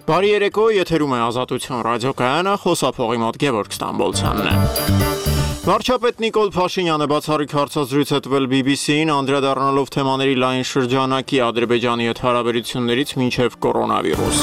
Բարի երեկո, եթերում է Ազատություն ռադիոկայանը, խոսափողի մոտ Գևորգ Ստամբոլցյանն է։ Վարչապետ Նիկոլ Փաշինյանը բացառիկ հարցազրույց է տվել BBC-ին, անդրադառնալով թեմաների լայն շրջանակի Ադրբեջանի հետ հարաբերություններից մինչև կորոնավիրուս։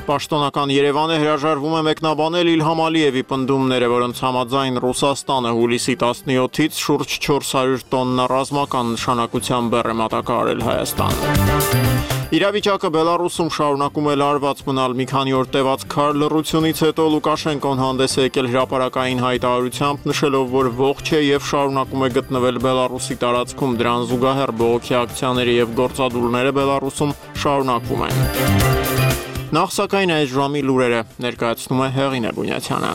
Պաշտոնական Երևանը հրաժարվում է մեկնաբանել Իլհամ Ալիևի պնդումները, որոնց համաձայն Ռուսաստանը հուլիսի 17-ից շուրջ 400 տոննա ռազմական նշանակության բեռ է մատակարարել Հայաստան։ Իրավիճակը Բելարուսում շարունակում է լարված մնալ մի քանի օր տևած քար լռությունից հետո Լուկաշենկոն հանդես է եկել հրապարակային հայտարարությամբ, նշելով, որ ողջ է եւ շարունակում է գտնվել Բելարուսի տարածքում, դրան զուգահեռ բողոքի ակցիաները եւ գործադուլները Բելարուսում շարունակվում են։ Նախ սակայն այս ժամի լուրերը ներկայացնում է Հեղինե Բունյացյանը։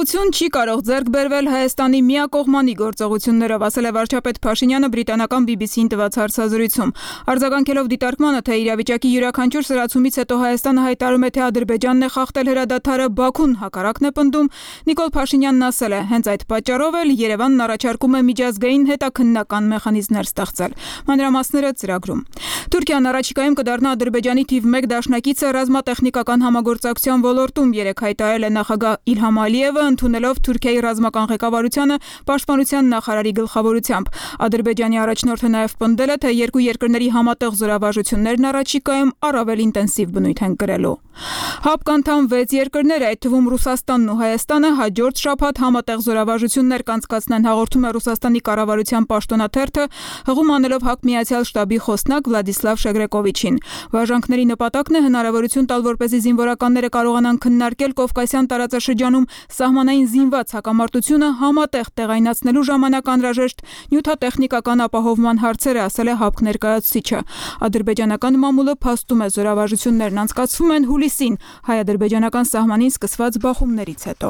Խաղաղություն չի կարող ձեռք բերվել Հայաստանի միակողմանի գործողություններով, ասել է վարչապետ Փաշինյանը բրիտանական BBC-ին տված հարցազրույցում։ Արձագանքելով դիտարկմանը, թե իրավիճակի յուրաքանչյուր սրացումից հետո Հայաստանը հայտարարում է, թե Ադրբեջանն է խախտել հրադադարը, Բաքուն հակառակն է պնդում, Նիկոլ Փաշինյանն ասել է, հենց այդ պատճառով էլ Երևանն առաջարկում է միջազգային հետաքննական մեխանիզմներ ստեղծել։ Մանրամասները ծրագրում։ Թուրքիան առաջիկայում կդառնա Ադրբեջանի թիվ 1 դաշնակիցը ռազմատեխնիկական համագործակցության ոլորտում, երեկ հայտարարել է նախագահ Իլհամ Ալիևը, ընդունելով Թուրքիայի ռազմական ղեկավարությանը պաշտպանության նախարարի գլխավորությամբ։ Ադրբեջանի առաջնորդը նաև պնդել է, թե երկու երկրների համատեղ զորավարժություններն առաջիկայում առավել ինտենսիվ բնույթ են կրելու։ ՀԱՊԿ անդամ 6 երկրներ, այդ թվում Ռուսաստանն ու Հայաստանը, հաջորդ շաբաթ համատեղ զորավարժություններ կանցկացնեն, հաղորդում է Ռուսաստանի կառավարության պաշտոնաթերթը, հղում անելով ՀԱԿ Միացյալ շտաբի խոսնակ Վլադիսլավ Շեգրեկովիչին։ Վարժանքների նպատակն է հնարավորություն տալ, որպեսզի զինվորականները կարողանան քննարկել Կովկասյան տարածաշրջանում սահմանային զինված հակամարտությունը համատեղ տեղայնացնելու ժամանակ անհրաժեշտ նյութատեխնիկական ապահովման հարցերը, ասել է ՀԱՊԿ ներկայացուցիչը։ Ադրբեջանական մամուլը փաստում է, զորավարժություններն անցկացվում են հուլիսին հայ-ադրբեջանական սահմանին սկսված բախումներից հետո։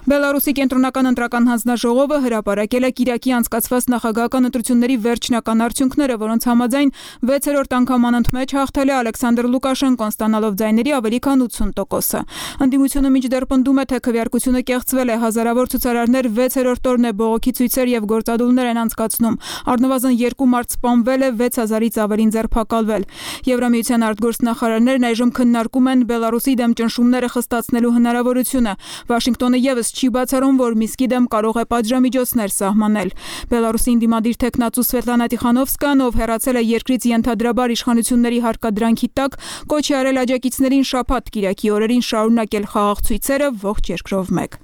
Բելարուսի կենտրոնական ընտրական հանձնաժողովը հրապարակել է Կիրակի անցկացված նախագահական ընտրությունների վերջնական արդյունքները, որոնց համաձայն 6-րդ անգամ անընդմեջ հաղթել է Ալեքսանդր Լուկաշենկոն, ստանալով ձայների ավելի քան 80%։ Ընդդիմությունը մինչդեռ պնդում է, թե քվեարկությունը կեղծվել է, հազարավոր ցուցարարներ 6-րդ օրն է բողոքի ցույցեր եւ գործադուլներ են անցկացնում։ Առնվազն 2 մարդ սպանվել է, 6000-ից ավելին ձերբակալվել։ Եվրամիության արտգործնախարարներն այժմ քննարկում են Բելարուսի դեմ ճնշումները խստացնելու հնարավորությունը։ Վաշինգտոնը եւս չի բացառում, որ Միսկի դեմ կարող է պատժամիջոցներ սահմանել։ Բելարուսի ինդիմադիր թեկնածու Սվետլանա Տիխանովսկան, ով հեռացել է երկրից ենթադրաբար իշխանությունների հարկադրանքի տակ, կոչ է արել աջակիցներին շաբաթ Կիրակի օրերին շարունակել խաղաղ ցույցերը ողջ երկրով մեկ։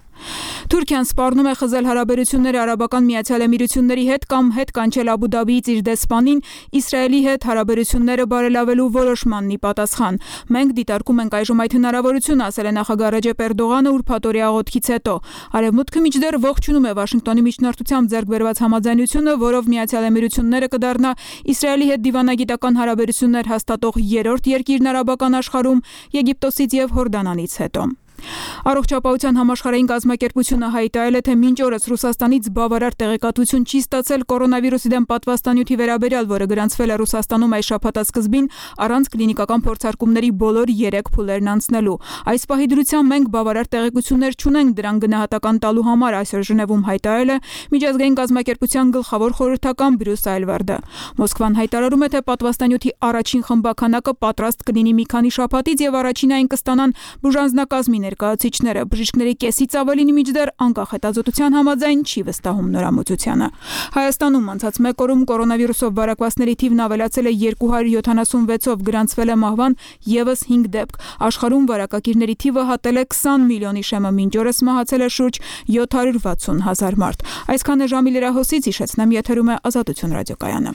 Թուրքիան սպառնում է խզել հարաբերությունները Արաբական Միացյալ Էմիրությունների հետ կամ հետ կանչել Աբու Դաբիից իր դեսպանին Իսրայելի հետ հարաբերությունները բարելավելու որոշմանն ի պատասխան։ Մենք դիտարկում ենք այժմ այդ հնարավորությունը, ասել է նախագահ Ռեջեփ Էրդողանը ուրբաթօրյա աղոթքից հետո։ Արևմուտքը մինչդեռ ողջունում է Վաշինգտոնի միջնորդությամբ ձեռք բերված համաձայնությունը, որով Միացյալ Էմիրությունները կդառնա Իսրայելի հետ դիվանագիտական հարաբերություններ հաստատող 3-րդ երկիրն արաբական աշխարհում Եգիպտոսից եւ Հորդանանից հետո։ Առողջապահության համաշխարհային կազմակերպությունը հայտարարել է, թե մինչ օրս Ռուսաստանից բավարար տեղեկատվություն չի ստացել կորոնավիրուսի դեմ պատվաստանյութի վերաբերյալ, որը գրանցվել է Ռուսաստանում այս շաբաթասկզբին առանց կլինիկական փորձարկումների բոլոր 3 փուլերն անցնելու։ Այս պահի դրությամբ մենք բավարար տեղեկություններ չունենք դրան գնահատական տալու համար, այսօր Ժնևում հայտարարել է միջազգային կազմակերպության գլխավոր խորհրդական Բրյուս Այլվարդը։ Մոսկվան հայտարարում է, թե պատվաստանյութի առաջին խմբականակը պատրաստ կլինի մի քանի շաբաթից եւ առաջինային կստանան բուժանձնակազմի ներկայացուցիչները։ Բժիշկների կեսից ավելին մինչդեռ անկախ հետազոտության համաձայն չի վստահում նորամուծությանը։ Հայաստանում անցած 1 օրում կորոնավիրուսով վարակվածների թիվն ավելացել է 276-ով, գրանցվել է մահվան եւս 5 դեպք։ Աշխարհում վարակակիրների թիվը հատել է 20 միլիոնի շեմը, մինչ օրս մահացել է շուրջ 760 000 մարդ։ Այսքանը ժամի լրահոսից, հիշեցնեմ, եթերում է Ազատություն ռադիոկայանը։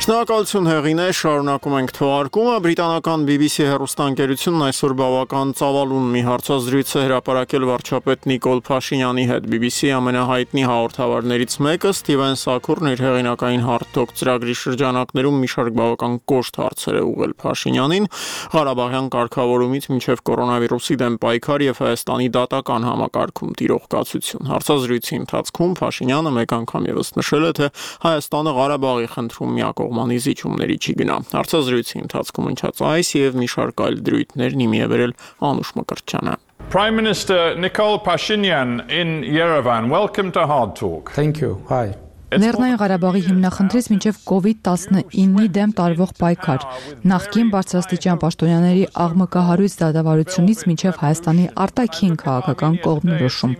Շնորհակալություն Հեղինե, շարունակում ենք թողարկումը։ Բրիտանական BBC հեռուստաընկերությունն այսօր բավական ծավալուն մի հարցազրույց է հրապարակել վարչապետ Նիկոլ Փաշինյանի հետ։ BBC-ի ամենահայտնի հաղորդավարներից մեկը Սթիվեն Սաքուրն իր հեղինակային Hard Talk ծրագրի շրջանակներում մի շարք բավական կոշտ հարցեր է ուղղել Փաշինյանին, Ղարաբաղյան կարգավորումից մինչև կորոնավիրուսի դեմ պայքար եւ Հայաստանի դատական համակարգում տիրող կացություն։ Հարցազրույցի ընթացքում Փաշինյանը մեկ անգամ եւս նշել է, թե Հայաստանը Ղարաբաղի խնդրում միակողմ կողմանի զիջումների չի գնա։ Հարցազրույցի ընթացքում հնչած այս եւ մի շարք այլ դրույթներ նիմի է վերել Անուշ Մկրտչյանը։ Prime Minister Nikol Pashinyan in Yerevan, welcome to Hard Talk. Thank you. Hi. Լեռնային Ղարաբաղի հիմնախնդրից մինչև COVID-19-ի դեմ տարվող պայքար, նախկին բարձրաստիճան պաշտոնյաների աղմկահարույց դատավարությունից մինչև Հայաստանի արտաքին քաղաքական կողմնորոշում։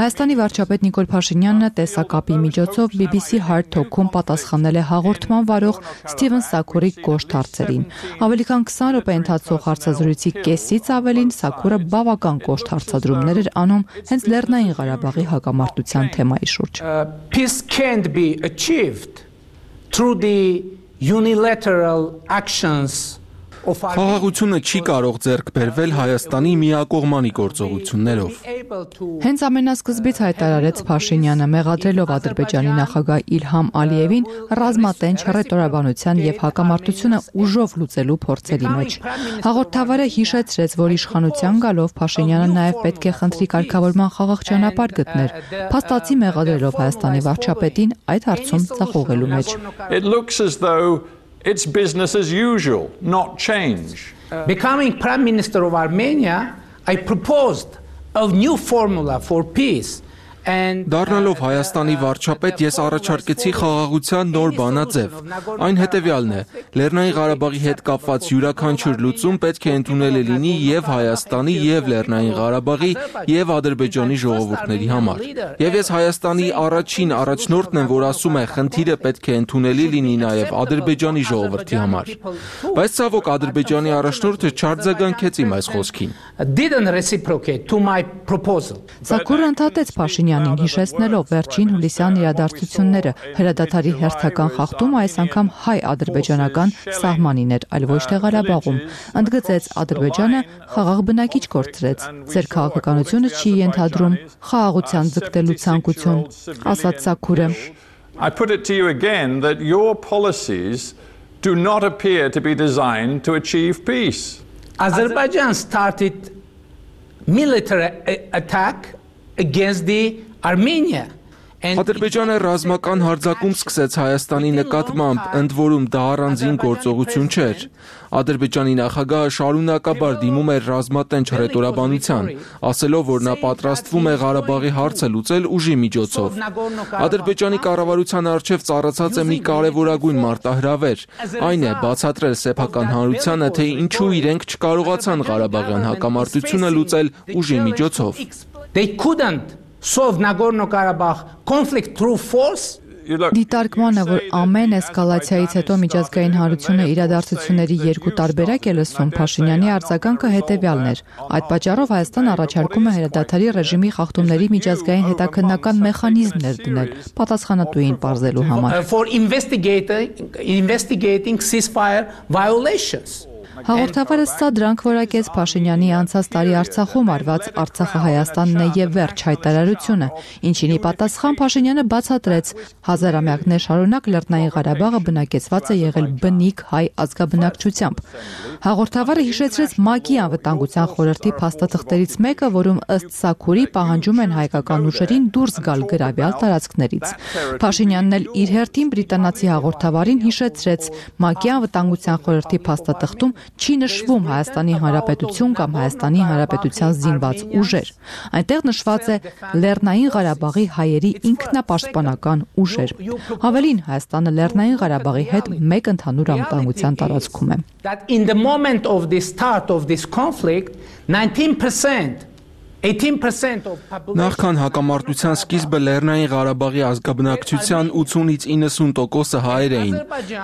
Հայաստանի վարչապետ Նիկոլ Փաշինյանը տեսակապի միջոցով BBC Hard Talk-ում պատասխանել է հաղորդման վարող Սթիվեն Սաքուրի կոշտ հարցերին։ Ավելի քան 20 րոպե ընթացող հարցազրույցի կեսից ավելին Սաքուրը բավական կոշտ հարցադրումներ էր անում հենց Լեռնային Ղարաբաղի հակամարտության թեմայի շուրջ։ Peace can't be achieved through the unilateral actions of Խաղաղությունը չի կարող ձեռք բերվել Հայաստանի միակողմանի գործողություններով։ Հենց ամենասկզբից հայտարարեց Փաշինյանը, մեղադրելով Ադրբեջանի նախագահ Իլհամ Ալիևին ռազմատենչ հռետորաբանության եւ հակամարտությունը ուժով լուծելու փորձերի մեջ։ Հաղորդավարը հիշեցրեց, որ իշխանության գալով Փաշինյանը նաեւ պետք է խնդրի կարգավորման խաղաղ ճանապարհ գտներ, փաստացի մեղադրելով Հայաստանի վարչապետին այդ հարցում ծախողելու մեջ։ It looks as though it's business as usual, not change. Becoming Prime Minister of Armenia, I proposed a new formula for peace. Դառնալով Հայաստանի վարչապետ ես առաջարկեցի խաղաղության նոր բանաձև։ Այն հետևյալն է. Լեռնային Ղարաբաղի հետ կապված յուրաքանչյուր լուծում պետք է ընդունելի լինի եւ Հայաստանի եւ Լեռնային Ղարաբաղի եւ Ադրբեջանի ժողովուրդների համար։ Եվ ես Հայաստանի առաջին առաջնորդն եմ, որ ասում է, խնդիրը պետք է ընդունելի լինի նաեւ Ադրբեջանի ժողովրդի համար։ Բայց ցավոք Ադրբեջանի առաջնորդը չարձագանքեց իմ այս խոսքին։ Didn't reciprocate to my proposal. Սաքուրը ընդհատեց Փաշինյանին, հիշեցնելով վերջին հուլիսյան իրադարձությունները, հրադադարի հերթական խախտումը այս անգամ հայ-ադրբեջանական սահմանին էր, այլ ոչ թե Ղարաբաղում։ Ընդգծեց Ադրբեջանը խաղաղ բնակիչ կորցրեց։ Ձեր քաղաքականությունը չի ենթադրում խաղաղության ձգտելու ցանկություն, ասաց Սաքուրը։ I put it to you again that your policies do not appear to be designed to achieve peace. Azerbaijan started military attack against the Armenia. Ադրբեջանը ռազմական հարձակում սկսեց Հայաստանի նկատմամբ, ընդ որում դա առանձին գործողություն չէր։ Ադրբեջանի նախագահը շարունակաբար դիմում էր ռազմատենչ հռետորաբանության, ասելով, որ նա պատրաստվում է Ղարաբաղի հարցը լուծել ուժի միջոցով։ Ադրբեջանի կառավարության առջև ծառացած է մի կարևորագույն մարտահրավեր, այն է բացատրել սեփական հանրությանը, թե ինչու իրենք չկարողացան Ղարաբաղյան հակամարտությունը լուծել ուժի միջոցով։ They couldn't solve Nagorno-Karabakh conflict through force. Դիտարկմանը, որ ամեն էսկալացիայից հետո միջազգային հանրությունը իրադարձությունների երկու տարբերակ է լսում, Փաշինյանի արձագանքը հետևյալն էր։ Այդ պատճառով Հայաստան առաջարկում է հրադադարի ռեժիմի խախտումների միջազգային հետաքննական մեխանիզմներ դնել, պատասխանատուին պարզելու համար։ For investigating ceasefire violations. Հաղորդավարը սա դրանք որակեց Փաշինյանի անցած տարի Արցախում արված Արցախը Հայաստանն է եւ վերջ հայտարարությունը, ինչինի պատասխան Փաշինյանը բացատրեց, հազարամյակներ շարունակ Լեռնային Ղարաբաղը բնակեցված է եղել բնիկ հայ ազգաբնակչությամբ։ Հաղորդավարը հիշեցրեց ՄԱԿ-ի անվտանգության խորհրդի փաստաթղթերից մեկը, որում ըստ Սաքուրի պահանջում են հայկական ուժերին դուրս գալ գրավյալ տարածքներից։ Փաշինյանն էլ իր հերթին բրիտանացի հաղորդավարին հիշեցրեց, ՄԱԿ-ի անվտանգության խորհրդի փաստաթղթում չի նշվում Հայաստանի Հանրապետություն կամ Հայաստանի Հանրապետության զինված ուժեր։ Այնտեղ նշված է Լեռնային Ղարաբաղի հայերի ինքնապաշտպանական ուժեր։ Ավելին, Հայաստանը Լեռնային Ղարաբաղի հետ մեկ ընդհանուր անվտանգության տարածքում է։ That in the moment of the start of this conflict, 18% Նախքան հակամարտության սկիզբը Լեռնային Ղարաբաղի ազգաբնակչության 80-ից 90%-ը հայեր էին,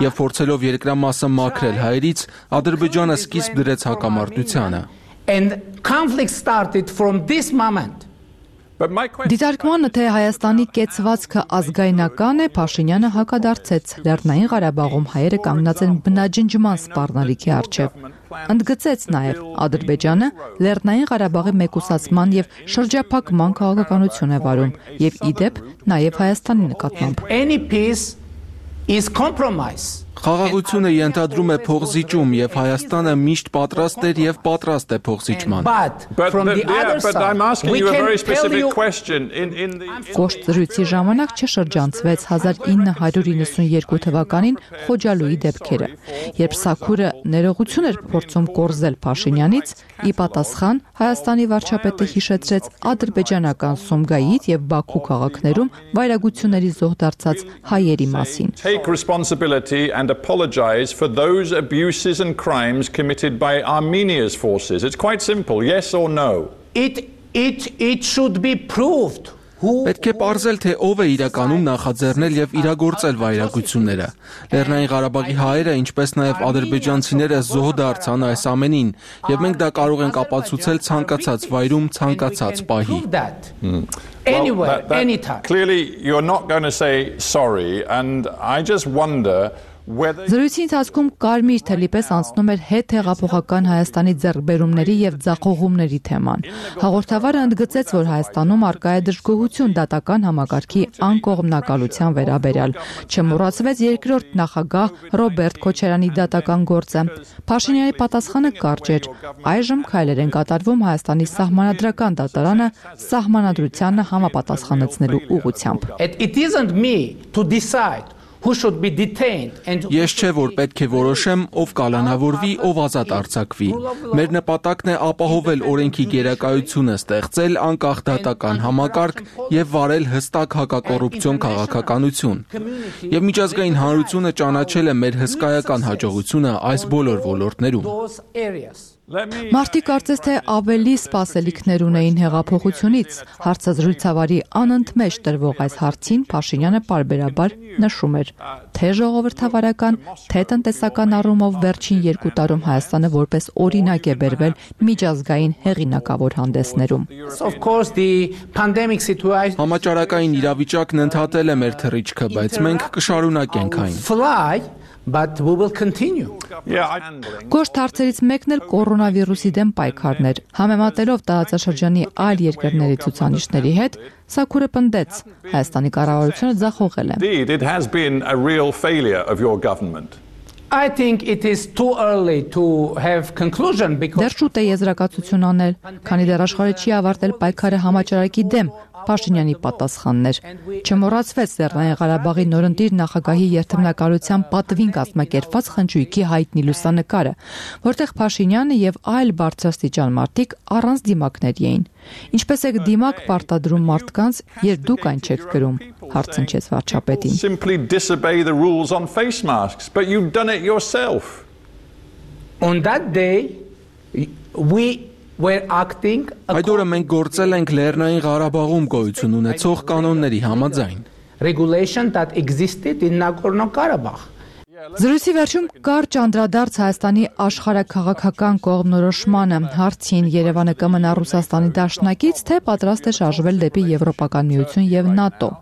եւ փորձելով երկրամասը մաքրել հայերից, Ադրբեջանը սկիզբ դրեց հակամարտությանը։ And conflict started from this moment. Դիտարկմանը, թե Հայաստանի կեցվածքը ազգայնական է, Փաշինյանը հակադարձեց։ Լեռնային Ղարաբաղում հայերը կանգնած են բնաջնջման սպառնալիքի առջև։ Ընդգծեց նաև Ադրբեջանը Լեռնային Ղարաբաղի մեկուսացման եւ շրջափակման քաղաքականություն է վարում եւ իդեպ նաև Հայաստանի նկատմամբ։ Any peace is compromise. Խաղաղությունը ենթադրում է փոխզիջում եւ Հայաստանը միշտ պատրաստ էր եւ պատրաստ է փոխզիջման։ But from the other side, we can tell you Կոշտ զրույցի ժամանակ չշրջանցվեց 1992 թվականին Խոջալույի դեպքերը, երբ Սաքուրը ներողություն էր փորձում կորզել Փաշինյանից, ի պատասխան Հայաստանի վարչապետը հիշեցրեց ադրբեջանական Սումգայիթ եւ Բաքու քաղաքներում վայրագությունների զոհ դարձած հայերի մասին։ Take responsibility and apologize for those abuses and crimes committed by Armenia's forces. It's quite simple, yes or no. It should be proved. Պետք է պարզել, թե ով է իրականում նախաձեռնել եւ իրագործել վայրագությունները։ Լեռնային Ղարաբաղի հայերը, ինչպես նաեւ ադրբեջանցիները զոհ դարձան այս ամենին, եւ մենք դա կարող ենք ապացուցել ցանկացած վայրում, ցանկացած պահի։ Anywhere, anytime. Clearly, you're not going to say sorry, and I just wonder whether... Զրույցի ընթացքում կարմիր թելի պես անցնում էր հետ հեղափոխական Հայաստանի ձեռքբերումների եւ ձախողումների թեման։ Հաղորդավարը ընդգծեց, որ Հայաստանում արկա է դժգոհություն դատական համակարգի անկողմնակալության վերաբերյալ։ Չմոռացվեց երկրորդ նախագահ Ռոբերտ Քոչարյանի դատական գործը։ Փաշինյանի պատասխանը կարճ էր. այժմ քայլեր են կատարվում Հայաստանի սահմանադրական դատարանը սահմանադրությանը համապատասխանեցնելու ուղղությամբ։ It isn't me to decide who should be detained and Ես չէ որ պետք է որոշեմ ով կալանավորվի, ով ազատ արձակվի։ Մեր նպատակն է ապահովել օրենքի գերակայությունը, ստեղծել անկախ դատական համակարգ եւ վարել հստակ հակակոռուպցիոն քաղաքականություն։ Եվ միջազգային հանրությունը ճանաչել է մեր հսկայական հաջողությունը այս բոլոր ոլորտներում։ Մարդիկ կարծես թե ավելի սպասելիքներ ունեին հեղափոխությունից։ Հարցազրույցավարի անընդմեջ տրվող այս հարցին Փաշինյանը պարբերաբար նշում էր, թե ժողովրդավարական, թե տնտեսական առումով վերջին 2 տարում Հայաստանը որպես օրինակ է բերվել միջազգային հեղինակավոր հանդեսներում։ of course the pandemic situation Համաճարակային իրավիճակն ընդհատել է մեր թռիչքը, բայց մենք կշարունակենք այն։ fly but we will continue. Կոշտ հարցերից մեկն էլ կորոնավիրուսի դեմ պայքարն էր։ Համեմատելով տարածաշրջանի այլ երկրների ցուցանիշների հետ, Սաքուրը պնդեց, Հայաստանի կառավարությունը ձախողել է։ Indeed, it has been a real failure of your government. I think it is too early to have conclusion because Դեռ շուտ է եզրակացություն անել, քանի դեռ աշխարհը չի ավարտել պայքարը համաճարակի դեմ, Փաշինյանի պատասխանն էր։ Չմոռացվեց Լեռնային Ղարաբաղի նորընտիր նախագահի երթմնակալության պատվին կազմակերպված խնջույքի հայտնի լուսանկարը, որտեղ Փաշինյանը եւ այլ բարձրաստիճան մարդիկ առանց դիմակների էին։ Ինչպես եք դիմակ պարտադրում մարդկանց, երբ դուք այն չեք գրում, հարցնչեց վարչապետին։ Simply disobey the rules on face masks, but you've done it yourself. on that day we were acting Այդ օրը մենք գործել ենք Լեռնային Ղարաբաղում գոյություն ունեցող կանոնների համաձայն։ regulation that existed in Nagorno-Karabakh. Զրույցի վերջում կարճ անդրադարձ Հայաստանի աշխարհաքաղաքական կողմնորոշմանը, հարցին Երևանը կմնա Ռուսաստանի դաշնակից, թե պատրաստ է շարժվել դեպի Եվրոպական միություն եւ ՆԱՏՕ։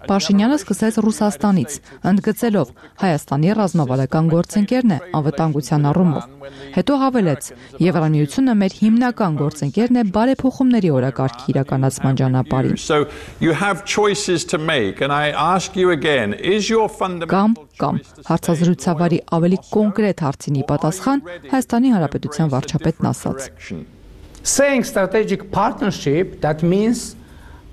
Փաշինյանը սկսեց Ռուսաստանից, ընդգծելով Հայաստանի ռազմավարական գործընկերն է անվտանգության առումով։ Հետո հավելեց. Եվրամիությունը մեր հիմնական գործընկերն է բարեփոխումների օրակարգի իրականացման ճանապարհին։ So you have choices to make, and I ask you again, is your fundamental Կամ հարցազրույցավարի ավելի կոնկրետ հարցինի պատասխան Հայաստանի Հանրապետության վարչապետն ասաց. Saying strategic partnership, that means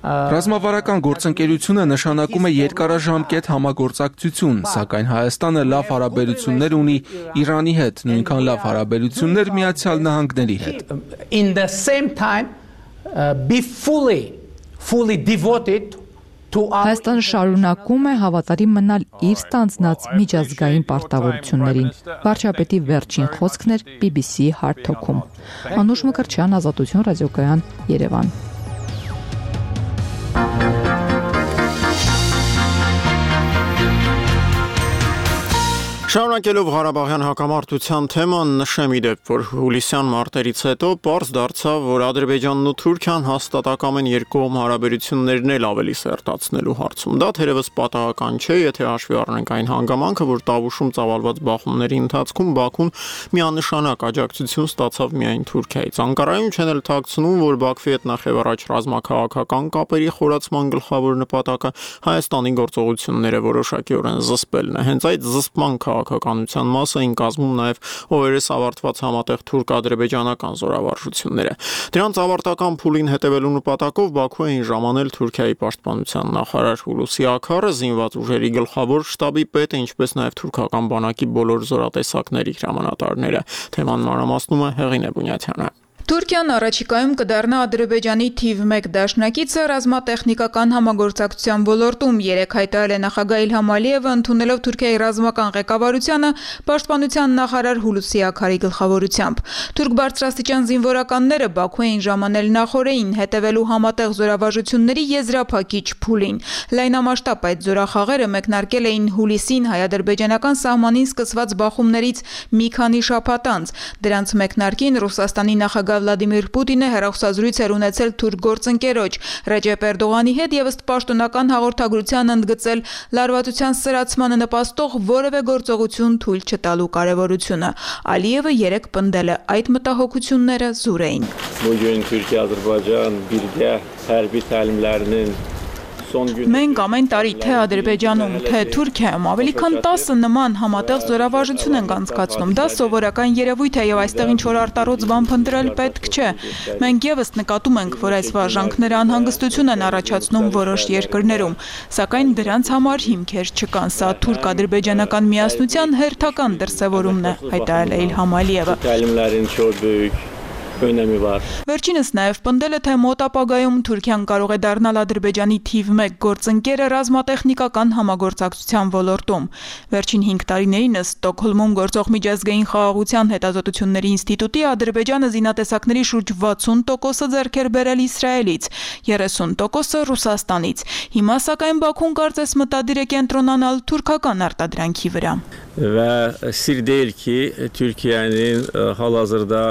Ռազմավարական գործընկերությունը նշանակում է երկարաժամկետ համագործակցություն, սակայն Հայաստանը լավ հարաբերություններ ունի Իրանի հետ, նույնքան լավ հարաբերություններ Միացյալ Նահանգների հետ։ in the same time be fully devoted to our Հայաստանը շարունակում է հավատարիմ մնալ իր ստանձնած միջազգային պարտավորություններին։ Վարչապետի վերջին խոսքն էր BBC Hard Talk-ում։ Անուշ Մկրտչյան, Ազատություն ռադիոկայան, Երևան։ Շարունակելով Ղարաբաղյան հակամարտության թեման, նշեմ ի դեպ, որ հուլիսյան մարտերից հետո պարզ դարձավ, որ Ադրբեջանն ու Թուրքիան հաստատակամ են երկկողմ հարաբերություններն էլ ավելի սերտացնելու հարցում։ Դա թերևս պատահական չէ, եթե հաշվի առնենք այն հանգամանքը, որ Տավուշում ծավալված բախումների ընթացքում Բաքուն միանշանակ աջակցություն ստացավ միայն Թուրքիայից։ Անկարայում չեն էլ թաքցնում, որ Բաքվի հետ նախևառաջ ռազմաքաղաքական կապերի խորացման գլխավոր նպատակը Հայաստանի գործողությունները որոշակիորեն զսպելն է։ Հենց այդ զսպման քաղաքականության մասը այն կազմում նաև օրերս ավարտված համատեղ թուրք-ադրբեջանական զորավարժությունները։ Դրանց ավարտական փուլին հետևելու նպատակով Բաքու էին ժամանել Թուրքիայի պաշտպանության նախարար Հուլուսի Աքարը, զինված ուժերի գլխավոր շտաբի պետը, ինչպես նաև թուրքական բանակի բոլոր զորատեսակների հրամանատարները։ Թեման մանրամասնում է Հեղինե Բունյաթյանը։ Թուրքիան առաջիկայում կդառնա Ադրբեջանի թիվ 1 դաշնակիցը ռազմատեխնիկական համագործակցության ոլորտում, երեկ հայտարարել է նախագահ Իլհամ Ալիևը, ընդունելով Թուրքիայի ռազմական ղեկավարությանը պաշտպանության նախարար Հուլուսի Աքարի գլխավորությամբ։ Թուրք բարձրաստիճան զինվորականները Բաքու էին ժամանել նախորդին, հետևելու համատեղ զորավարժությունների եզրափակիչ փուլին։ Լայնամասշտաբ այդ զորախաղերը մեկնարկել էին հուլիսին հայ-ադրբեջանական սահմանին սկսված բախումներից մի քանի շաբաթ անց։ Դրանց մեկնարկին Ռուսաստանի նախագահ Վլադիմիր Պուտինը հեռախոսազրույց էր ունեցել թուրք գործընկերոջ Ռեջեփ Էրդողանի հետ եւ ըստ պաշտոնական հաղորդագրության ընդգծել լարվածության սրացմանը նպաստող որևէ գործողություն թույլ չտալու կարեւորությունը։ Ալիևը երեկ պնդել է այդ մտահոգությունները զուր էին։ Bugün Türkiye-Azerbaycan birgə hərbi təlimlərinin Մենք ամեն տարի թե Ադրբեջանում, թե Թուրքիայում ավելի քան 10 նման համատեղ զորավարժություն ենք անցկացնում։ Դա սովորական երևույթ է եւ այստեղ ինչ-որ արտառոց բան փնտրել պետք չէ։ Մենք եւս նկատում ենք, որ այս վարժանքները անհանգստություն են առաջացնում որոշ երկրներում, սակայն դրանց համար հիմքեր չկան։ Սա թուրք-ադրբեջանական միասնության հերթական դրսևորումն է, հայտարարել է Իլհամ Ալիևը։ Վերջինս նաև պնդել է, թե մոտ ապագայում Թուրքիան կարող է դառնալ Ադրբեջանի թիվ 1 գործընկերը ռազմատեխնիկական համագործակցության ոլորտում։ Վերջին 5 տարիներին Ստոկհոլմում գործող միջազգային խաղաղության հետազոտությունների ինստիտուտի Ադրբեջանը զինատեսակների շուրջ 60%-ը ձեռք էր բերել Իսրայելից, 30%-ը Ռուսաստանից։ Հիմա սակայն Բաքուն կարծես մտադիր է կենտրոնանալ թուրքական արտադրանքի վրա։ Və sir deyil ki, Türkiye'nin hal-hazırda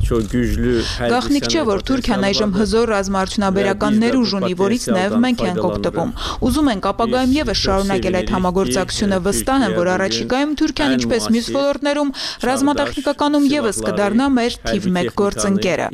çox güclü Գաղտնիք չէ, որ Թուրքիան այժմ հզոր ռազմաարդյունաբերական ներուժ ունի, որից նաև մենք ենք օգտվում։ Ուզում ենք ապագայում եւս շարունակել այդ համագործակցությունը, վստահ եմ, որ առաջիկայում Թուրքիան, ինչպես մյուս ոլորտներում, ռազմատեխնիկականում եւս կդառնա մեր թիվ 1 գործընկերը։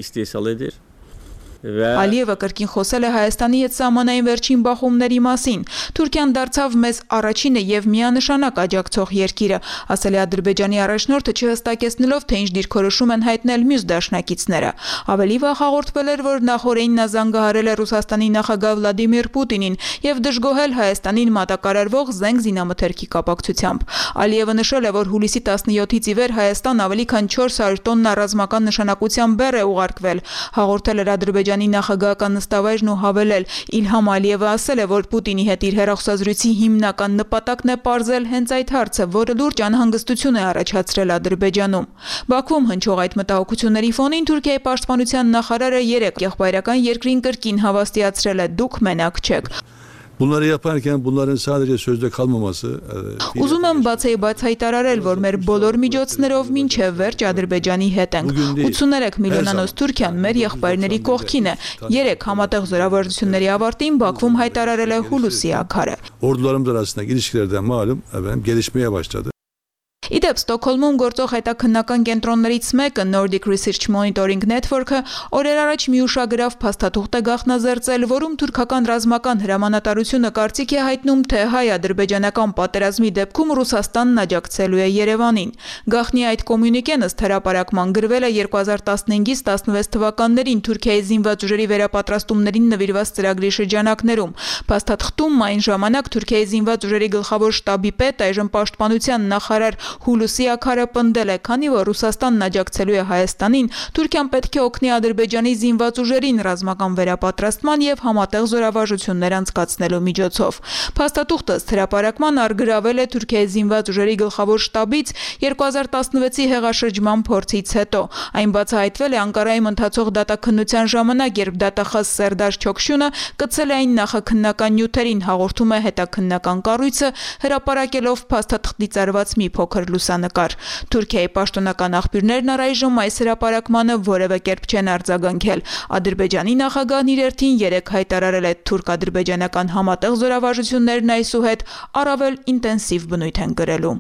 Ալիևը կրկին խոսել է Հայաստանի հետ սահմանային վերջին բախումների մասին։ Թուրքիան դարձավ մեզ առաջինը եւ միանշանակ աջակցող երկիրը, ասել է Ադրբեջանի առաջնորդը, չհստակեցնելով, թե ինչ դիրքորոշում են հայտնել մյուս դաշնակիցները։ Ավելի վաղ հաղորդվել էր, որ նախորդին նա զանգահարել է Ռուսաստանի նախագահ Վլադիմիր Պուտինին եւ դժգոհել Հայաստանին մատակարարվող զենք զինամթերքի կապակցությամբ։ Ալիևը նշել է, որ հուլիսի 17-ից ի վեր Հայաստան ավելի քան 400 տոննա ռազմական նշանակության բեռ է ուղարկվել։ Հաղորդել էր Ադրբեջանի նախագահական նստավայրն ու հավելել. Իլհամ Ալիևը ասել է, որ Պուտինի հետ իր հեռախոսազրույցի հիմնական նպատակն է պարզել հենց այդ հարցը, որը լուրջ անհանգստություն է առաջացրել Ադրբեջանում։ Բաքվում հնչող այդ մտահոգությունների ֆոնին Թուրքիայի պաշտպանության նախարարը երեկ եղբայրական երկրին կրկին հավաստիացրել է. դուք մենակ չեք։ Bunları yaparken bunların sadece sözde kalmaması Ուզում եմ բացեիբաց հայտարարել, որ մեր բոլոր միջոցներով մինչև վերջ Ադրբեջանի հետ ենք։ 83 միլիոնանոց Թուրքիան մեր եղբայրների կողքին է։ 3 համատեղ զորավարժությունների ավարտին Բաքվում հայտարարել է Հուլուսի Աքարը։ Ordularımız arasındaki ilişkilerden malum gelişmeye başladı. Իդեպ Ստոկհոլմում գործող հետաքննական կենտրոններից մեկը Nordic Research Monitoring Network-ը օրեր առաջ մի ուշագրավ փաստաթուղթ է գաղտնազերծել, որում թուրքական ռազմական հրամանատարությունը կարծիք է հայտնում, թե հայ-ադրբեջանական պատերազմի դեպքում Ռուսաստանն աջակցելու է Երևանին։ Գաղտնի այդ կոմյունիկեն ըստ հրապարակման գրվել է 2015-ից 16 թվականներին Թուրքիայի զինված ուժերի վերապատրաստումներին նվիրված ծրագրի շրջանակներում։ Փաստաթղթում այն ժամանակ Թուրքիայի զինված ուժերի գլխավոր շտաբի պետ, այժմ պաշտպանության նախարար Հուլուսի Աքարը պնդել է, քանի որ Ռուսաստանն աջակցելու է Հայաստանին, Թուրքիան պետք է օգնի Ադրբեջանի զինված ուժերին ռազմական վերապատրաստման եւ համատեղ զորավարժություններ անցկացնելու միջոցով։ Փաստաթուղթը հրապարակման արգրավել է Թուրքիայի զինված ուժերի գլխավոր շտաբից 2016-ի հեղաշրջման փորձից հետո։ Այն բացահայտվել է Անկարայում ընթացող դատաքննության ժամանակ, երբ դատախազ Սերդար Չոքշյունը կցել է այն նախաքննական նյութերին, հաղորդում է հետաքննական կառույցը, հրապարակելով փաստաթղթից արված մի փոքր բարձր լուսանկար։ Թուրքիայի պաշտոնական աղբյուրներն առայժմ այս հրապարակմանը որևէ կերպ չեն արձագանքել։ Ադրբեջանի նախագահն իր հերթին երեկ հայտարարել է թուրք-ադրբեջանական համատեղ զորավարժություններն այսուհետ առավել ինտենսիվ բնույթ են կրելու։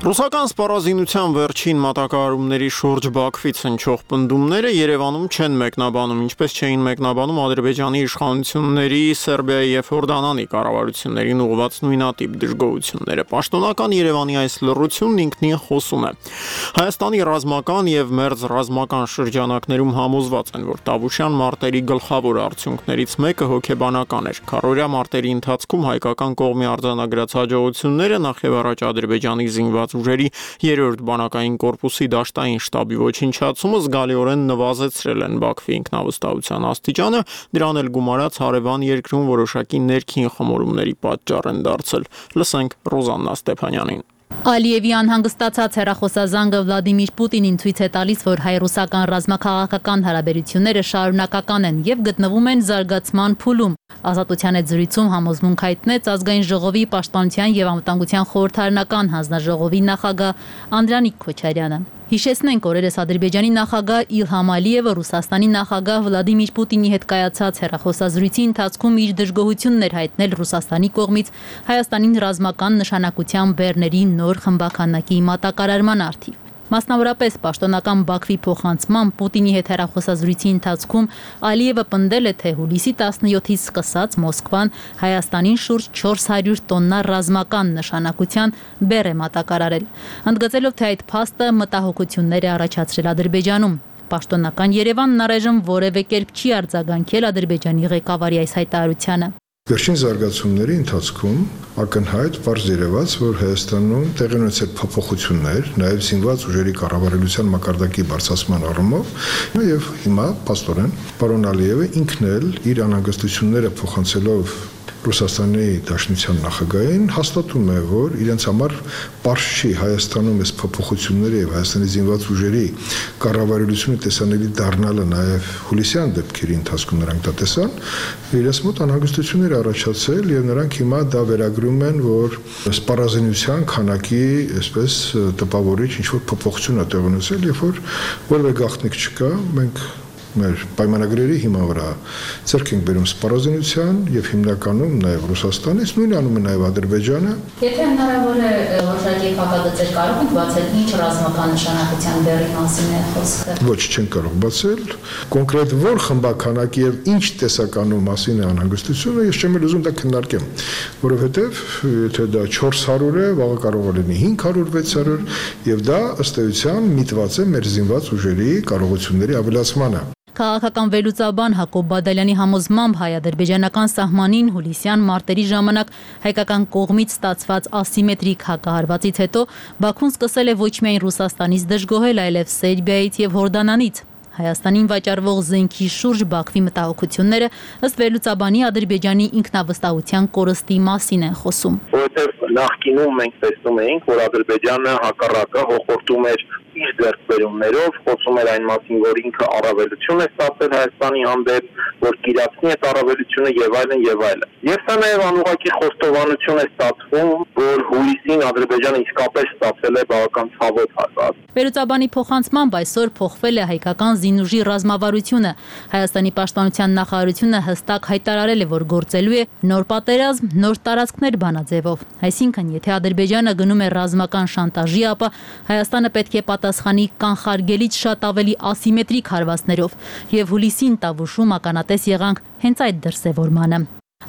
Ռուսական սպառազինության վերջին մատակարարումների շուրջ Բաքվից հնչող պնդումները Երևանում չեն մեկնաբանում, ինչպես չէին մեկնաբանում Ադրբեջանի իշխանությունների, Սերբիայի եւ Հորդանանի կառավարություններին ուղղված նույնատիպ դժգոհությունները։ Պաշտոնական Երևանի այս լռությունն ինքնին խոսում է։ Հայաստանի ռազմական եւ մերձ ռազմական շրջանակներում համոզված են, որ Տավուշյան մարտերի գլխավոր արդյունքներից մեկը հոգեբանական էր։ Քառօրյա մարտերի ընթացքում հայկական կողմի արձանագրած հաջողությունները նախ եւ առաջ Ադրբեջանի զինված ուժերի 3-րդ բանակային կորպուսի դաշտային շտաբի ոչնչացումը զգալիորեն նվազեցրել են Բաքվի ինքնավստահության աստիճանը, դրան էլ գումարած հարևան երկրում որոշակի ներքին խմորումների պատճառ են դարձել։ Լսենք Ռոզաննա Ստեփանյանին։ Ալիևի անհանգստացած հեռախոսազանգը Վլադիմիր Պուտինին ցույց է տալիս, որ հայ-ռուսական ռազմաքաղաքական հարաբերությունները շարունակական են եւ գտնվում են զարգացման փուլում։ Ազատության այդ զրույցում համոզմունք հայտնեց Ազգային ժողովի պաշտպանության եւ անվտանգության խորհրդարանական հանձնաժողովի նախագահ Անդրանիկ Քոչարյանը։ Հիշեցնենք, օրերս Ադրբեջանի նախագահ Իլհամ Ալիևը Ռուսաստանի նախագահ Վլադիմիր Պուտինի հետ կայացած հեռախոսազրույցի ընթացքում իր դժգոհությունն էր հայտնել Ռուսաստանի կողմից Հայաստանին ռազմական նշանակության բեռների նոր խմբականակի մատակարարման արդիվ։ Մասնավորապես պաշտոնական Բաքվի փոխանցման Պուտինի հետ հեռախոսազրույցի ընթացքում Ալիևը պնդել է, թե հուլիսի 17-ից սկսած Մոսկվան Հայաստանին շուրջ 400 տոննա ռազմական նշանակության բեռ է մատակարարել, ընդգծելով, թե այդ փաստը մտահոգություններ է առաջացրել Ադրբեջանում։ Պաշտոնական Երևանն առայժմ որևէ կերպ չի արձագանքել Ադրբեջանի ղեկավարի այս հայտարարությանը։ Վերջին զարգացումների ընթացքում ակնհայտ պարզ երևաց, որ Հայաստանում տեղի ունեցել փոփոխություններ, նաև զինված ուժերի կառավարության մակարդակի բարձրացման առումով, եւ հիմա փաստորեն պարոն Ալիևը ինքն էլ իր անհանգստությունները փոխանցելով Ռուսաստանի Դաշնության նախագահին հաստատում է, որ իրենց համար պարզ չի Հայաստանում այս փոփոխությունները եւ Հայաստանի զինված ուժերի կառավարությունը տեսանելի դառնալը նաև հուլիսյան դեպքերի ընթացքում նրանք դա տեսան, իրենց մոտ անհանգստություններ առաջացել եւ նրանք հիմա դա վերագրում են, որ սպառազինության քանակի այսպես տպավորիչ ինչ-որ փոփոխություն է տեղ ունեցել, երբ որ որևէ գաղտնիք չկա, մենք մեր պայմանագրերի հիման վրա ձեռք ենք բերում սպառազինության եւ հիմնականում նաեւ Ռուսաստանից, նույնն անում է նաեւ Ադրբեջանը։ Եթե հնարավոր է որոշակի փակագծեր կարող եք բացել, ինչ ռազմական նշանակության բեռի մասին է խոսքը։ Ոչ, չեն կարող բացել։ Կոնկրետ որ խմբականակի եւ ինչ տեսականու մասին է անհանգստությունը, ես չեմ ուզում դա քննարկեմ, որովհետեւ եթե դա 400 է, վաղը կարող է լինի 500, 600 եւ դա ըստ էության միտված է մեր զինված ուժերի կարողությունների ավելացմանը։ Քաղաքական վերլուծաբան Հակոբ Բադալյանի համոզմամբ հայ-ադրբեջանական սահմանին հուլիսյան մարտերի ժամանակ հայկական կողմից ստացված ասիմետրիկ հակահարվածից հետո Բաքուն սկսել է ոչ միայն Ռուսաստանից դժգոհել, այլև Սերբիայից եւ Հորդանանից։ Հայաստանին վաճառվող զենքի շուրջ Բաքվի մտահոգությունները ըստ վերլուծաբանի Ադրբեջանի ինքնավստահության կորստի մասին են խոսում։ Որովհետև նախկինում մենք տեսնում էինք, որ Ադրբեջանը հակառակը հոխորտում էր իր ձեռքբերումներով, խոսում էր այն մասին, որ ինքը առավելություն է ստացել Հայաստանի հանդեպ, որ կիրացնի այդ առավելությունը եւ այլն եւ այլն։ Եվ սա նաեւ անուղղակի խոստովանություն է ստացվում, որ հուլիսին Ադրբեջանը իսկապես ստացել է բավական ցավոտ հաշված։ Վերլուծաբանի փոխանցմամբ այսօր փոխվել է հայկական զինուժի ռազմավարությունը։ Հայաստանի պաշտպանության նախարարությունը հստակ հայտարարել է, որ գործելու է նոր պատերազմ, նոր տարածքներ բանաձևով։ Այսինքն, եթե Ադրբեջանը գնում է ռազմական շանտաժի, ապա Հայաստանը պետք է պատասխանի կանխարգելից շատ ավելի ասիմետրիկ հարվածներով, եւ հուլիսին Տավուշում ականատես եղանք հենց այդ դրսևորմանը։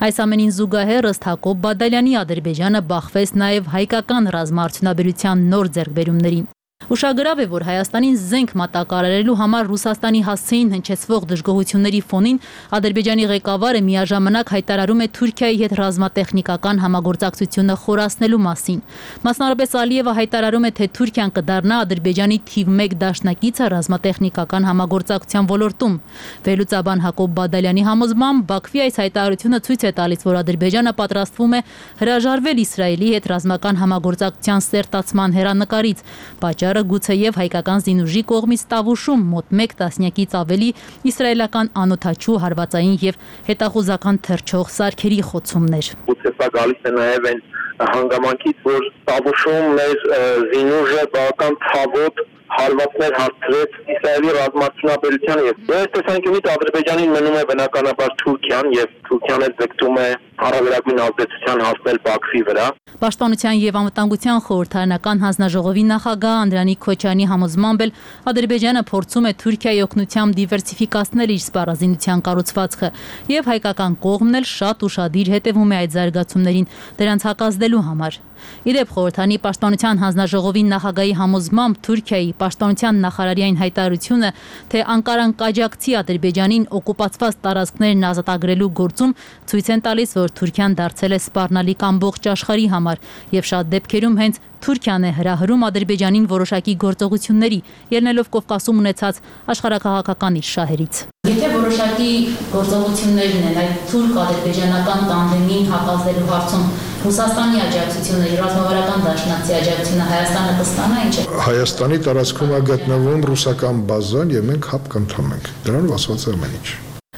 Այս ամենին զուգահեռ ըստ Հակոբ Բադալյանի Ադրբեջանը բախվեց նաև հայկական ռազմաարդյունաբերության նոր ձեռքբերումներին։ Ուշագրավ է, որ Հայաստանին զենք մատակարարելու համար Ռուսաստանի հասցեին հնչեցվող դժգոհությունների ֆոնին Ադրբեջանի ղեկավարը միաժամանակ հայտարարում է Թուրքիայի հետ ռազմատեխնիկական համագործակցությունը խորացնելու մասին։ Մասնավորապես Ալիևը հայտարարում է, թե Թուրքիան կդառնա Ադրբեջանի թիվ 1 դաշնակիցը ռազմատեխնիկական համագործակցության ոլորտում։ Վերլուծաբան Հակոբ Բադալյանի համոզմամբ Բաքվի այս հայտարարությունը ցույց է տալիս, որ Ադրբեջանը պատրաստվում է հրաժարվել Իսրայելի հետ ռազմական համագործակցության սերտացման հեռանկարից։ Պատճառը գուցեև հայկական զինուժի կողմից Տավուշում մոտ 1 տասնյակից ավելի իսրայելական անօդաչու հարվածային եւ հետախուզական թռչող սարքերի խոցումներ։ Գուցե սա գալիս է նաեւ այն հանգամանքից, որ Տավուշում մեր զինուժը բավական ցավոտ հարվածներ հարցրեց Իսրայելի ռազմարտունաբերությանը եւ այս տեսանկյունից Ադրբեջանին մնում է բնականաբար Թուրքիան եւ Թուրքիան էլ ձգտում է հարաբերական ազդեցության հասնել Բաքվի վրա։ Պաշտպանության եւ անվտանգության խորհրդարանական հանձնաժողովի նախագահ Անդրանիկ Քոչյանի համոզմամբ էլ Ադրբեջանը փորձում է Թուրքիայի օգնությամբ դիվերսիֆիկացնել իր սպառազինության կառուցվածքը եւ հայկական կողմն էլ շատ ուշադիր հետևում է այդ զարգացումներին դրանց հակազդելու համար։ Իդեպ խորհրդանի պաշտպանության հանձնաժողովի նախագահի համոզմամբ Թուրքիայի պաշտպանության նախարարի այն հայտարարությունը, թե Անկարան կաջակցի Ադրբեջանին օկուպացված տարածքներն ազատագրելու գործում ցույց են տալիս, որ Թուրքիան դարձել է սպառնալիք ամբողջ աշխարհի համար եւ շատ դեպքերում հենց Թուրքիան է հրահրում Ադրբեջանին որոշակի գործողությունների, ելնելով Կովկասում ունեցած աշխարհաքաղաքական իր շահերից։ Եթե որոշակի գործողություններն են այդ թուրք-ադրբեջանական տանդեմին հակազդելու հարցում Ռուսաստանի աջակցությունը, ռազմավարական դաշնակցի աջակցությունը Հայաստանը կստանա ինչ է։ Հայաստանի տարածքում է գտնվում ռուսական բազան եւ մենք հապ կընդունենք։ Դրանով ասված է ամեն ինչ։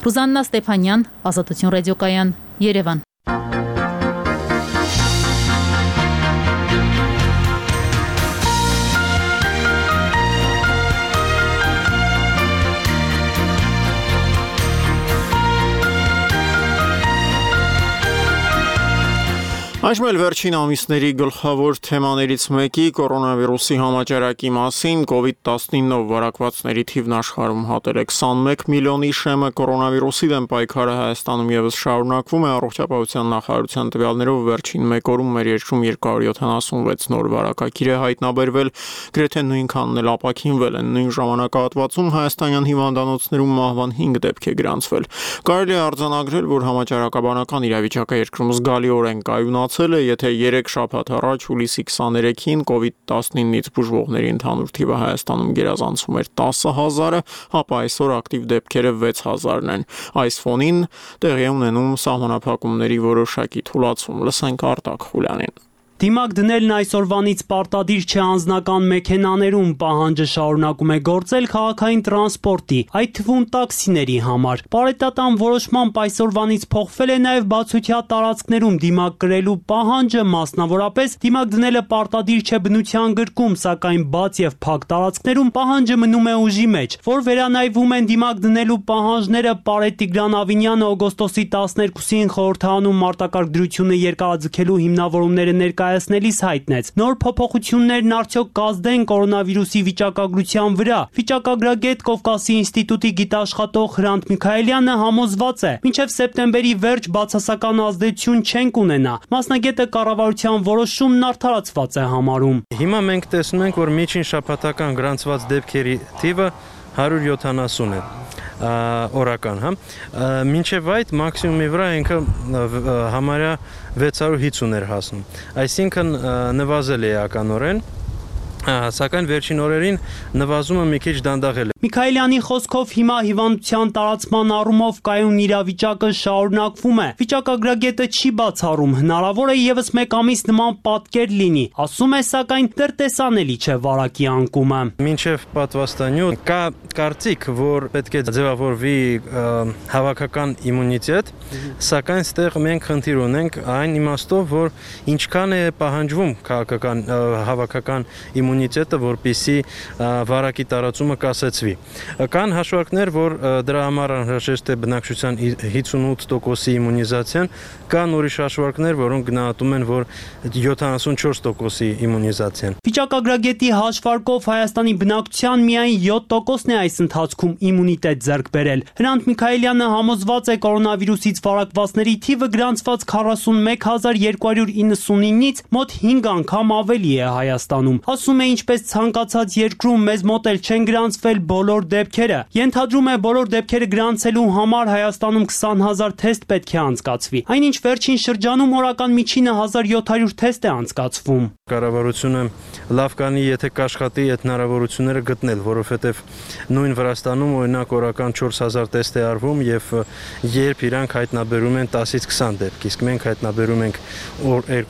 Ռուզաննա Ստեփանյան, Ազատություն ռադիոկայան, Երևան։ Այժմ էլ վերջին ամիսների գլխավոր թեմաներից մեկի կորոնավիրուսի համաճարակի մասին COVID-19 վարակվածների թիվն աշխարհում հատել է 21 միլիոնի շեմը կորոնավիրուսի դեմ պայքարը Հայաստանում եւս շարունակվում է առողջապահության նախարարության տվյալներով վերջին 1 օրում մեր երկրում 276 նոր վարակագիր է հայտնաբերվել, գրեթե նույնքանն էլ ապաքինվել են նույն ժամանակահատվածում հայաստանյան հիվանդանոցներում մահվան 5 դեպք է գրանցվել։ Կարելի է արձանագրել, որ համաճարակաբանական իրավիճակը երկրում զգալիորեն կայունացել է, եթե 3 շաբաթ առաջ հուլիսի 23-ին COVID-19-ից բուժվողների ընդհանուր թիվը Հայաստանում գերազանցում էր 10,000-ը, ապա այսօր ակտիվ դեպքերը 6,000-ն են։ Այս ֆոնին տեղի է ունենում սահմանափակումների որոշակի թուլացում։ Լսենք Արտակ Խուլյանին։ Դիմակ դնելն այսօրվանից պարտադիր չէ անձնական մեքենաներում, պահանջը շարունակում է գործել քաղաքային տրանսպորտի, այդ թվում տաքսիների համար։ Պարետատան որոշմամբ այսօրվանից փոխվել է նաև բացօթյա տարածքներում դիմակ կրելու պահանջը, մասնավորապես դիմակ դնելը պարտադիր չէ բնության գրկում, սակայն բաց եւ փակ տարածքներում պահանջը մնում է ուժի մեջ, որ վերանայվում են դիմակ դնելու պահանջները Պարետ Տիգրան Ավինյանը օգոստոսի 12-ին խորհրդանում մարտակարգ դրությունը երկարաձգելու հիմնավորումները ներկայացնելիս հայտնեց։ Նոր փոփոխություններն արդյոք կազդեն կորոնավիրուսի վիճակագրության վրա։ Վիճակագրագետ Կովկասի ինստիտուտի գիտաշխատող Հրանտ Միքայելյանը համոզված է, մինչև սեպտեմբերի վերջ բացասական ազդեցություն չենք ունենա։ Մասնագետը կառավարության որոշումն արդարացված է համարում։ Հիմա մենք տեսնում ենք, որ միջին շաբաթական գրանցված դեպքերի թիվը 170 է օրական, հա։ Մինչև այդ մաքսիմումի վրա ինքը համարյա 650 էր հասնում։ Այսինքն նվազել է էականորեն, սակայն վերջին օրերին նվազումը մի քիչ դանդաղել է։ Միքայելյանի խոսքով հիմա հիվանդության տարածման առումով կայուն իրավիճակը շարունակվում է։ Վիճակագրագետը չի բացառում, հնարավոր է եւս 1 ամիս նման պատկեր լինի։ Ասում է, սակայն դեռ տեսանելի չէ վարակի անկումը։ Մինչև պատվաստանյութ կա կարծիք, որ պետք է ձևավորվի հավաքական իմունիտետ, սակայն ստեղ մենք խնդիր ունենք այն իմաստով, որ ինչքան է պահանջվում քաղաքական հավաքական իմունիտետը, որպեսզի վարակի տարածումը կասեցվի։ Կան հաշվարկներ, որ դրա համար անհրաժեշտ է բնակչության 58%-ի իմունիզացիան, կան ուրիշ հաշվարկներ, որոնք գնահատում են, որ 74%-ի իմունիզացիան։ Վիճակագրագետի հաշվարկով Հայաստանի բնակչության միայն 7%-ն է այս ընթացքում իմունիտետ ձեռք բերել։ Հրանտ Միքայելյանը համոզված է կորոնավիրուսից վարակվածների թիվը գրանցված 41299-ից մոտ 5 անգամ ավելի է Հայաստանում։ Ասում է, ինչպես ցանկացած երկրում մեզ մոտ էլ չեն գրանցվել բոլոր դեպքերը։ Ենթադրում է, բոլոր դեպքերը գրանցելու համար Հայաստանում 20000 թեստ պետք է անցկացվի։ Այնինչ վերջին շրջանում օրական միջինը 1700 թեստ է անցկացվում։ Կառավարությունը լավ կանի, եթե կաշխատի այդ հնարավորությունները գտնել, որովհետև նույն Վրաստանում օրինակ օրական 4000 տեստ է արվում եւ երբ իրանք հայտնաբերում են 10-ից 20 դեպք, իսկ մենք հայտնաբերում ենք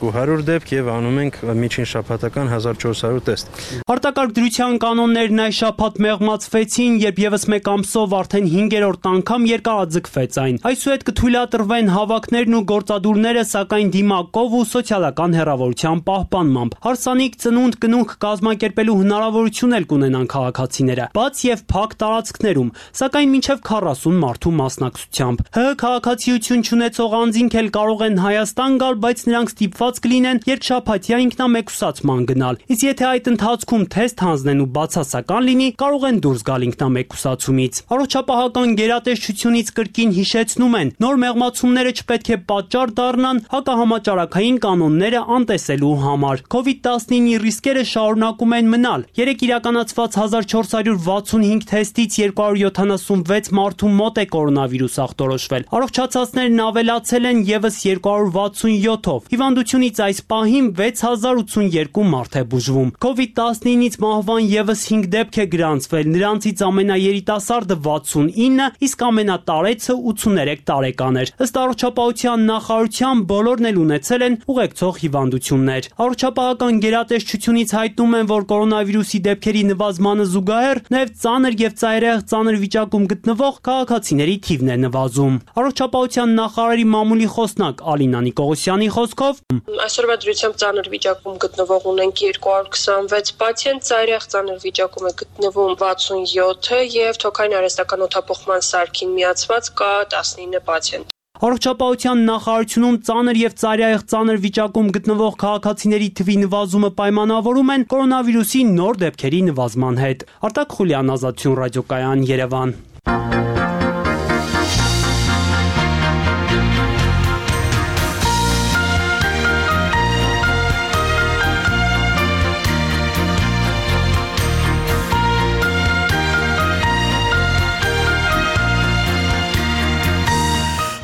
200 դեպք եւ անում ենք միջին շաբաթական 1400 տեստ։ Manifest։ Արտակարգ դրության կանոններն այս շաբաթ մեղմացվեցին, երբ եւս մեկ ամսով արդեն 5-րդ անգամ երկարաձգվեց այն։ Այսուհետ կթույլատրվեն հավաքներն ու գործադուլները, սակայն դիմակով ու սոցիալական հեռավորության պահպանմամբ։ Հարսանիք ծնունդ կնունք կազմակերպելու հնարավորություն էլ կունենան քաղաքացիները, բաց եւ փակ տարածքներում, սակայն մինչեւ 40 մարդու մասնակցությամբ։ ՀՀ քաղաքացիություն չունեցող անձինք էլ կարող են Հայաստան գալ, բայց նրանք ստիպված կլինեն երկշաբաթյա ինքնամեկուսացման գնալ։ Իսկ եթե այդ ընթացքում թեստ հանձնեն ու բացասական լինի, կարող են դուրս գալ ինքնամեկուսացումից։ Առողջապահական գերատեսչությունից կրկին հիշեցնում են, նոր մեղմացումները չպետք է պատճառ դառնան հակահամաճարակային կանոնները անտեսելու համար։ COVID-19-ի ռիսկերը շարունակում են մնալ։ Երեք իրականացված 1465 թեստից 276 մարդու մոտ է կորոնավիրուս ախտորոշվել։ Առողջացածներն ավելացել են եւս 267-ով։ Հիվանդությունից այս պահին 6082 մարդ է բուժվում։ COVID-19-ից մահվան եւս 5 դեպք է գրանցվել, նրանցից ամենաերիտասարդը 69, իսկ ամենատարեցը 83 տարեկան էր։ Ըստ առողջապահության նախարարության բոլորն էլ ունեցել են ուղեկցող հիվանդություններ։ Առողջապահական գերատեսչությունից հայտնում են, որ կորոնավիրուսի դեպքերի նվազմանը զուգահեռ նաև ծանր եւ ծայրահեղ ծանր վիճակում գտնվող քաղաքացիների թիվն է նվազում։ Առողջապահության նախարարի մամուլի խոսնակ Ալինա Նիկողոսյանի խոսքով այսօրվա դրությամբ ծանր վիճակում գտնվող ունենք 226 պացիենտ, ծայրահեղ ծանր վիճակում է գտնվում 67-ը եւ թոքային արհեստական օդափոխման սարքին միացված կա 19 պացիենտ։ Առողջապահության նախարարությունում ծանր եւ ծայրահեղ ծանր վիճակում գտնվող քաղաքացիների թվի նվազումը պայմանավորում են կորոնավիրուսի նոր դեպքերի նվազման հետ։ Արտակ Խուլյան, Ազատություն ռադիոկայան, Երևան։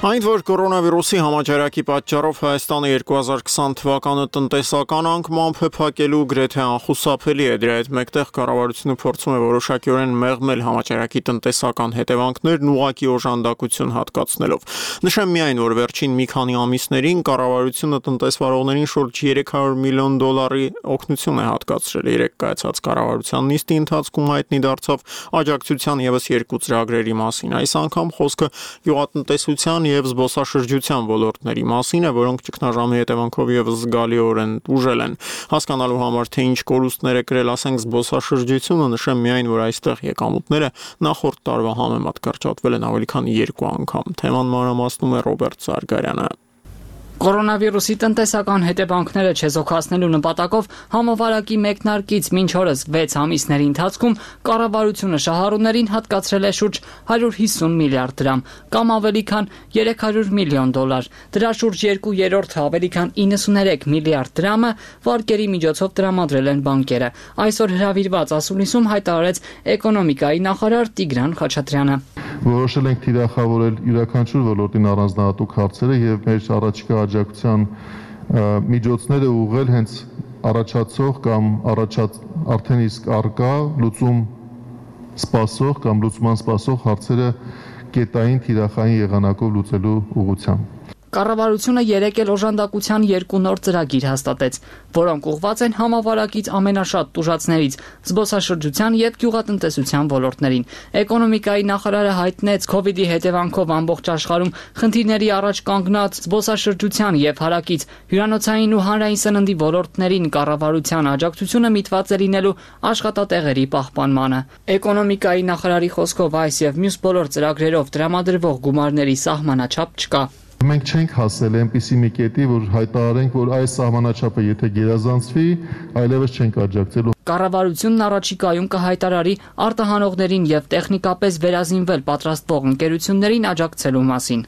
Այն, որ կորոնավիրուսի համաճարակի պատճառով Հայաստանը 2020 թվականը տնտեսական անկմամբ է փակելու գրեթե անխուսափելի է, դրա հետ մեկտեղ կառավարությունը փորձում է որոշակիորեն մեղմել համաճարակի տնտեսական հետևանքներն ուղղակի օժանդակություն հատկացնելով։ Նշեմ միայն, որ վերջին մի քանի ամիսներին կառավարությունը տնտեսվարողներին շուրջ $300 միլիոն օգնություն է հատկացրել։ Երեք կայացած կառավարության նիստի ընթացքում հայտնի դարձավ աջակցության եւս 2 ծրագրերի մասին։ Այս անգամ խոսքը գյուղատնտեսության եւ զբոսաշրջության ոլորտների մասին է, որոնք ճգնաժամի հետևանքով եւս զգալիորեն ուժել են։ Հասկանալու համար, թե ինչ կորուստներ է կրել, ասենք, զբոսաշրջությունը, նշեմ միայն, որ այստեղ եկամուտները նախորդ տարվա համեմատ կրճատվել են ավելի քան 2 անգամ։ Թեման մանրամասնում է Ռոբերտ Սարգարյանը։ Կորոնավիրուսի տնտեսական հետևանքները չեզոքացնելու նպատակով համավարակի մեկնարկից մինչ օրս 6 ամիսների ընթացքում կառավարությունը շահառուներին հատկացրել է շուրջ 150 միլիարդ դրամ, կամ ավելի քան $300 միլիոն։ Դրա շուրջ 2/3-ը ավելի քան 93 միլիարդ դրամը վարկերի միջոցով տրամադրել են բանկերը։ Այսօր հրավիրված ասուլիսում հայտարարեց էկոնոմիկայի նախարար Տիգրան Խաչատրյանը։ Որոշել ենք թիրախավորել յուրաքանչյուր ոլորտին առանձնահատուկ հարցերը եւ մեր առաջիկա աջակցության միջոցները ուղղել հենց առաջացող կամ արդեն իսկ արկա լուծում սպասող կամ լուծման սպասող հարցերը կետային թիրախային եղանակով լուծելու ուղղությամբ։ Կառավարությունը երեկ էլ օժանդակության 2 նոր ծրագիր հաստատեց, որոնք ուղղված են համավարակից ամենաշատ տուժածներից զբոսաշրջության եւ գյուղատնտեսության ոլորտներին։ Էկոնոմիկայի նախարարը հայտնեց COVID-ի հետևանքով ամբողջ աշխարհում խնդիրների առաջ կանգնած զբոսաշրջության եւ հարակից հյուրանոցային ու հանրային սննդի ոլորտներին կառավարության աջակցությունը միտված է լինելու աշխատատեղերի պահպանմանը։ Էկոնոմիկայի նախարարի խոսքով այս եւ մյուս բոլոր ծրագրերով տրամադրվող գումարների սահմանաչափ չկա։ Մենք չենք հասել այնպիսի մի կետի, որ հայտարարենք, որ այս սահմանաչափը եթե գերազանցվի, այլևս չենք աջակցելու։ Կառավարությունն առաջիկայում կհայտարարի արտահանողներին եւ տեխնիկապես վերազինվել պատրաստվող ընկերություններին աջակցելու մասին։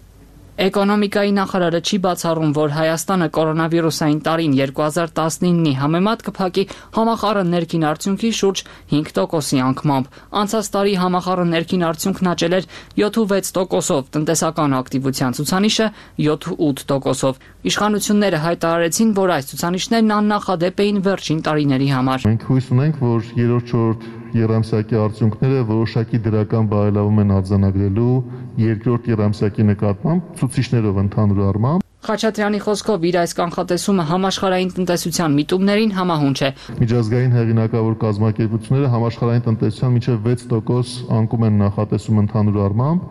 Էկոնոմիկայի նախարարը չի բացառում, որ Հայաստանը կորոնավիրուսային տարին 2019-ի համեմատ կփակի համախառն ներքին արդյունքի շուրջ 5%-ի անկմամբ։ Անցած տարի համախառն ներքին արդյունքն աճել էր 7.6%-ով, տնտեսական ակտիվության ցուցանիշը 7.8%-ով։ Իշխանությունները հայտարարեցին, որ այս ցուցանիշներն աննախադեպ էին վերջին տարիների համար։ Մենք հույս ունենք, որ 3-4 եռամսյակի արդյունքները որոշակի դրական բարելավում են արձանագրելու երկրորդ եռամսյակի նկատմամբ ցուցիչներով ընդհանուր առմամբ։ Խաչատրյանի խոսքով իր այս կանխատեսումը համաշխարհային տնտեսության միտումներին համահունչ է։ Միջազգային հեղինակավոր կազմակերպությունները համաշխարհային տնտեսության մինչև 6% անկում են նախատեսում ընդհանուր առմամբ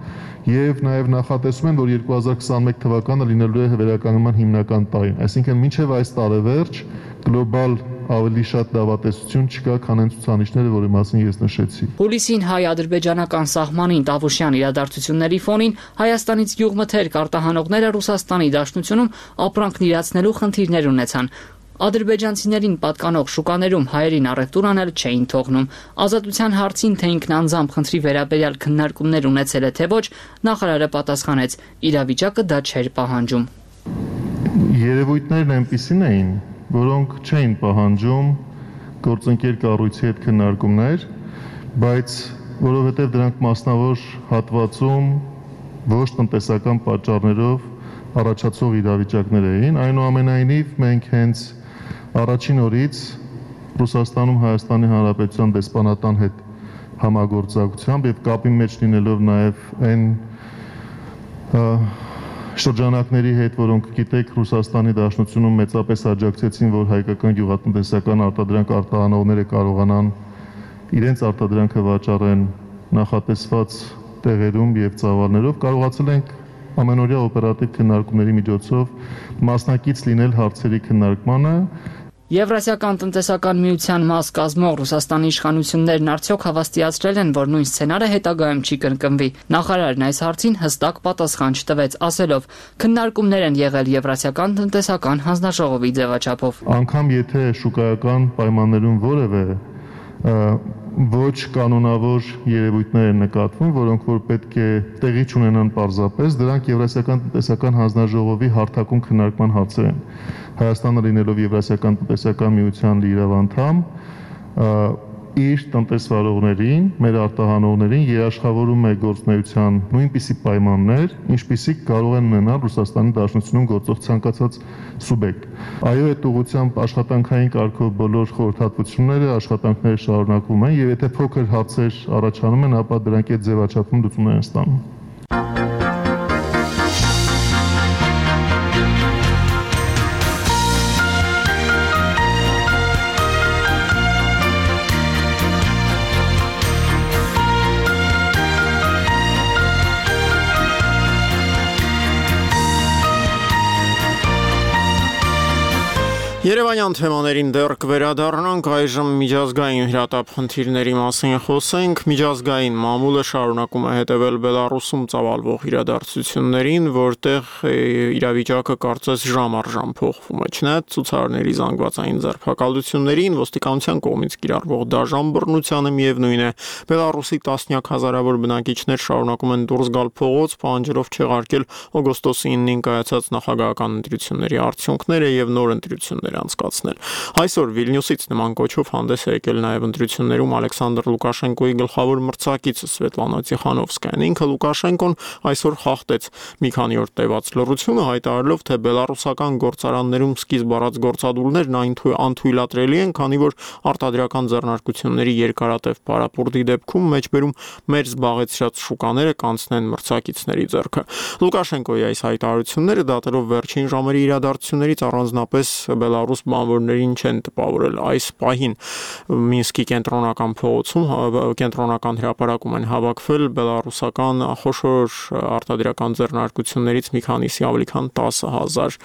եւ նաեւ նախատեսում են, որ 2021 թվականը լինելու է վերականգնման հիմնական տարին, այսինքն մինչև այս տարեվերջ գլոբալ ավելի շատ դավատեսություն չկա, քան այն ցուցանիշները, որի մասին ես նշեցի։ Հուլիսին հայ-ադրբեջանական սահմանին Տավուշյան իրադարձությունների ֆոնին Հայաստանից գյուղմթերք արտահանողները Ռուսաստանի Դաշնությունում ապրանքն իրացնելու խնդիրներ ունեցան։ Ադրբեջանցիներին պատկանող շուկաներում հայերին առևտուր անել չէին թողնում։ Ազատության հարցին, թե ինքն անձամբ խնդրի վերաբերյալ քննարկումներ ունեցել է թե ոչ, նախարարը պատասխանեց՝ իրավիճակը դա չէր պահանջում։ Երևույթներն այնպիսին էին, որոնք չէին պահանջում գործընկեր կառույցի հետ քննարկումներ, բայց որովհետև դրանք մասնավոր հատվածում ոչ տնտեսական պատճառներով առաջացող իրավիճակներ էին, այնուամենայնիվ մենք հենց առաջին օրից Ռուսաստանում Հայաստանի Հանրապետության դեսպանատան հետ համագործակցությամբ եւ կապի մեջ լինելով նաեւ այն շրջանակների հետ, որոնք գիտեք Ռուսաստանի Դաշնությունում մեծապես աջակցեցին, որ հայկական գյուղատնտեսական արտադրանք արտահանողները կարողանան իրենց արտադրանքը վաճառեն նախատեսված տեղերում եւ ծավալներով, կարողացել ենք ամենօրյա օպերատիվ քննարկումների միջոցով մասնակից լինել հարցերի քննարկմանը։ Եվրասիական տնտեսական միության մաս կազմող Ռուսաստանի իշխանություններն արդյոք հավաստիացրել են, որ նույն սցենարը հետագայում չի կրկնվի։ Նախարարն այս հարցին հստակ պատասխան չտվեց, ասելով՝ քննարկումներ են եղել Եվրասիական տնտեսական հանձնաժողովի ձևաչափով։ Անգամ եթե շուկայական պայմաններում որևէ ոչ կանոնավոր երևույթներ են նկատվում, որոնք որ պետք է տեղի չունենան պարզապես, դրանք Եվրասիական տնտեսական հանձնաժողովի հարթակում քննարկման հարցեր են։ Հայաստանը լինելով Եվրասիական տնտեսական միության լիիրավ անդամ, իր տնտեսվարողներին, մեր արտահանողներին երաշխավորում է գործունեության նույնպիսի պայմաններ, ինչպիսիք կարող են ունենալ Ռուսաստանի Դաշնությունում գործող ցանկացած սուբյեկտ։ Այո, այդ ուղղությամբ աշխատանքային կարգով բոլոր խորհրդատվությունները, աշխատանքները շարունակվում են, եւ եթե փոքր հարցեր առաջանում են, ապա դրանք այդ ձևաչափում լուծումներ են ստանում։ Երևանյան թեմաներին դեռ կվերադառնանք, այժմ միջազգային հրատապ խնդիրների մասին խոսենք։ Միջազգային մամուլը շարունակում է հետևել Բելարուսում ծավալվող իրադարձություններին, որտեղ իրավիճակը կարծես ժամ առ ժամ փոխվում է։ Չնայած ցուցարարների զանգվածային ձերբակալություններին, ոստիկանության կողմից կիրառվող դաժան բռնությանը միևնույն է, Բելարուսի տասնյակ հազարավոր բնակիչներ շարունակում են դուրս գալ փողոց, պահանջելով չեղարկել օգոստոսի 9-ին կայացած նախագահական ընտրությունների արդյունքները եւ նոր ընտրություններ անցկացնել։ Այսօր Վիլնյուսից նման կոչով հանդես է եկել նաև ընտրություններում Ալեքսանդր Լուկաշենկոյի գլխավոր մրցակիցը Սվետլանա Տիխանովսկայան։ Ինքը Լուկաշենկոն այսօր խախտեց մի քանի օր տևած լռությունը, հայտարարելով, թե բելարուսական գործարաններում սկիզբ առած գործադուլներն անթույլատրելի են, քանի որ արտադրական ձեռնարկությունների երկարատև պարապուրտի դեպքում մեջբերում մեր զբաղեցրած շուկաները կանցնեն մրցակիցների ձեռքը։ Լուկաշենկոյի այս հայտարարությունները դատելով վերջին ժամերի իրադարձություններից առանձնապես Բելարուս բանվորներին չեն տպավորել։ Այս պահին Մինսկի կենտրոնական փողոցում կենտրոնական հրապարակում են հավաքվել բելարուսական խոշոր արտադրական ձեռնարկություններից մի քանիսի ավելի քան 10,000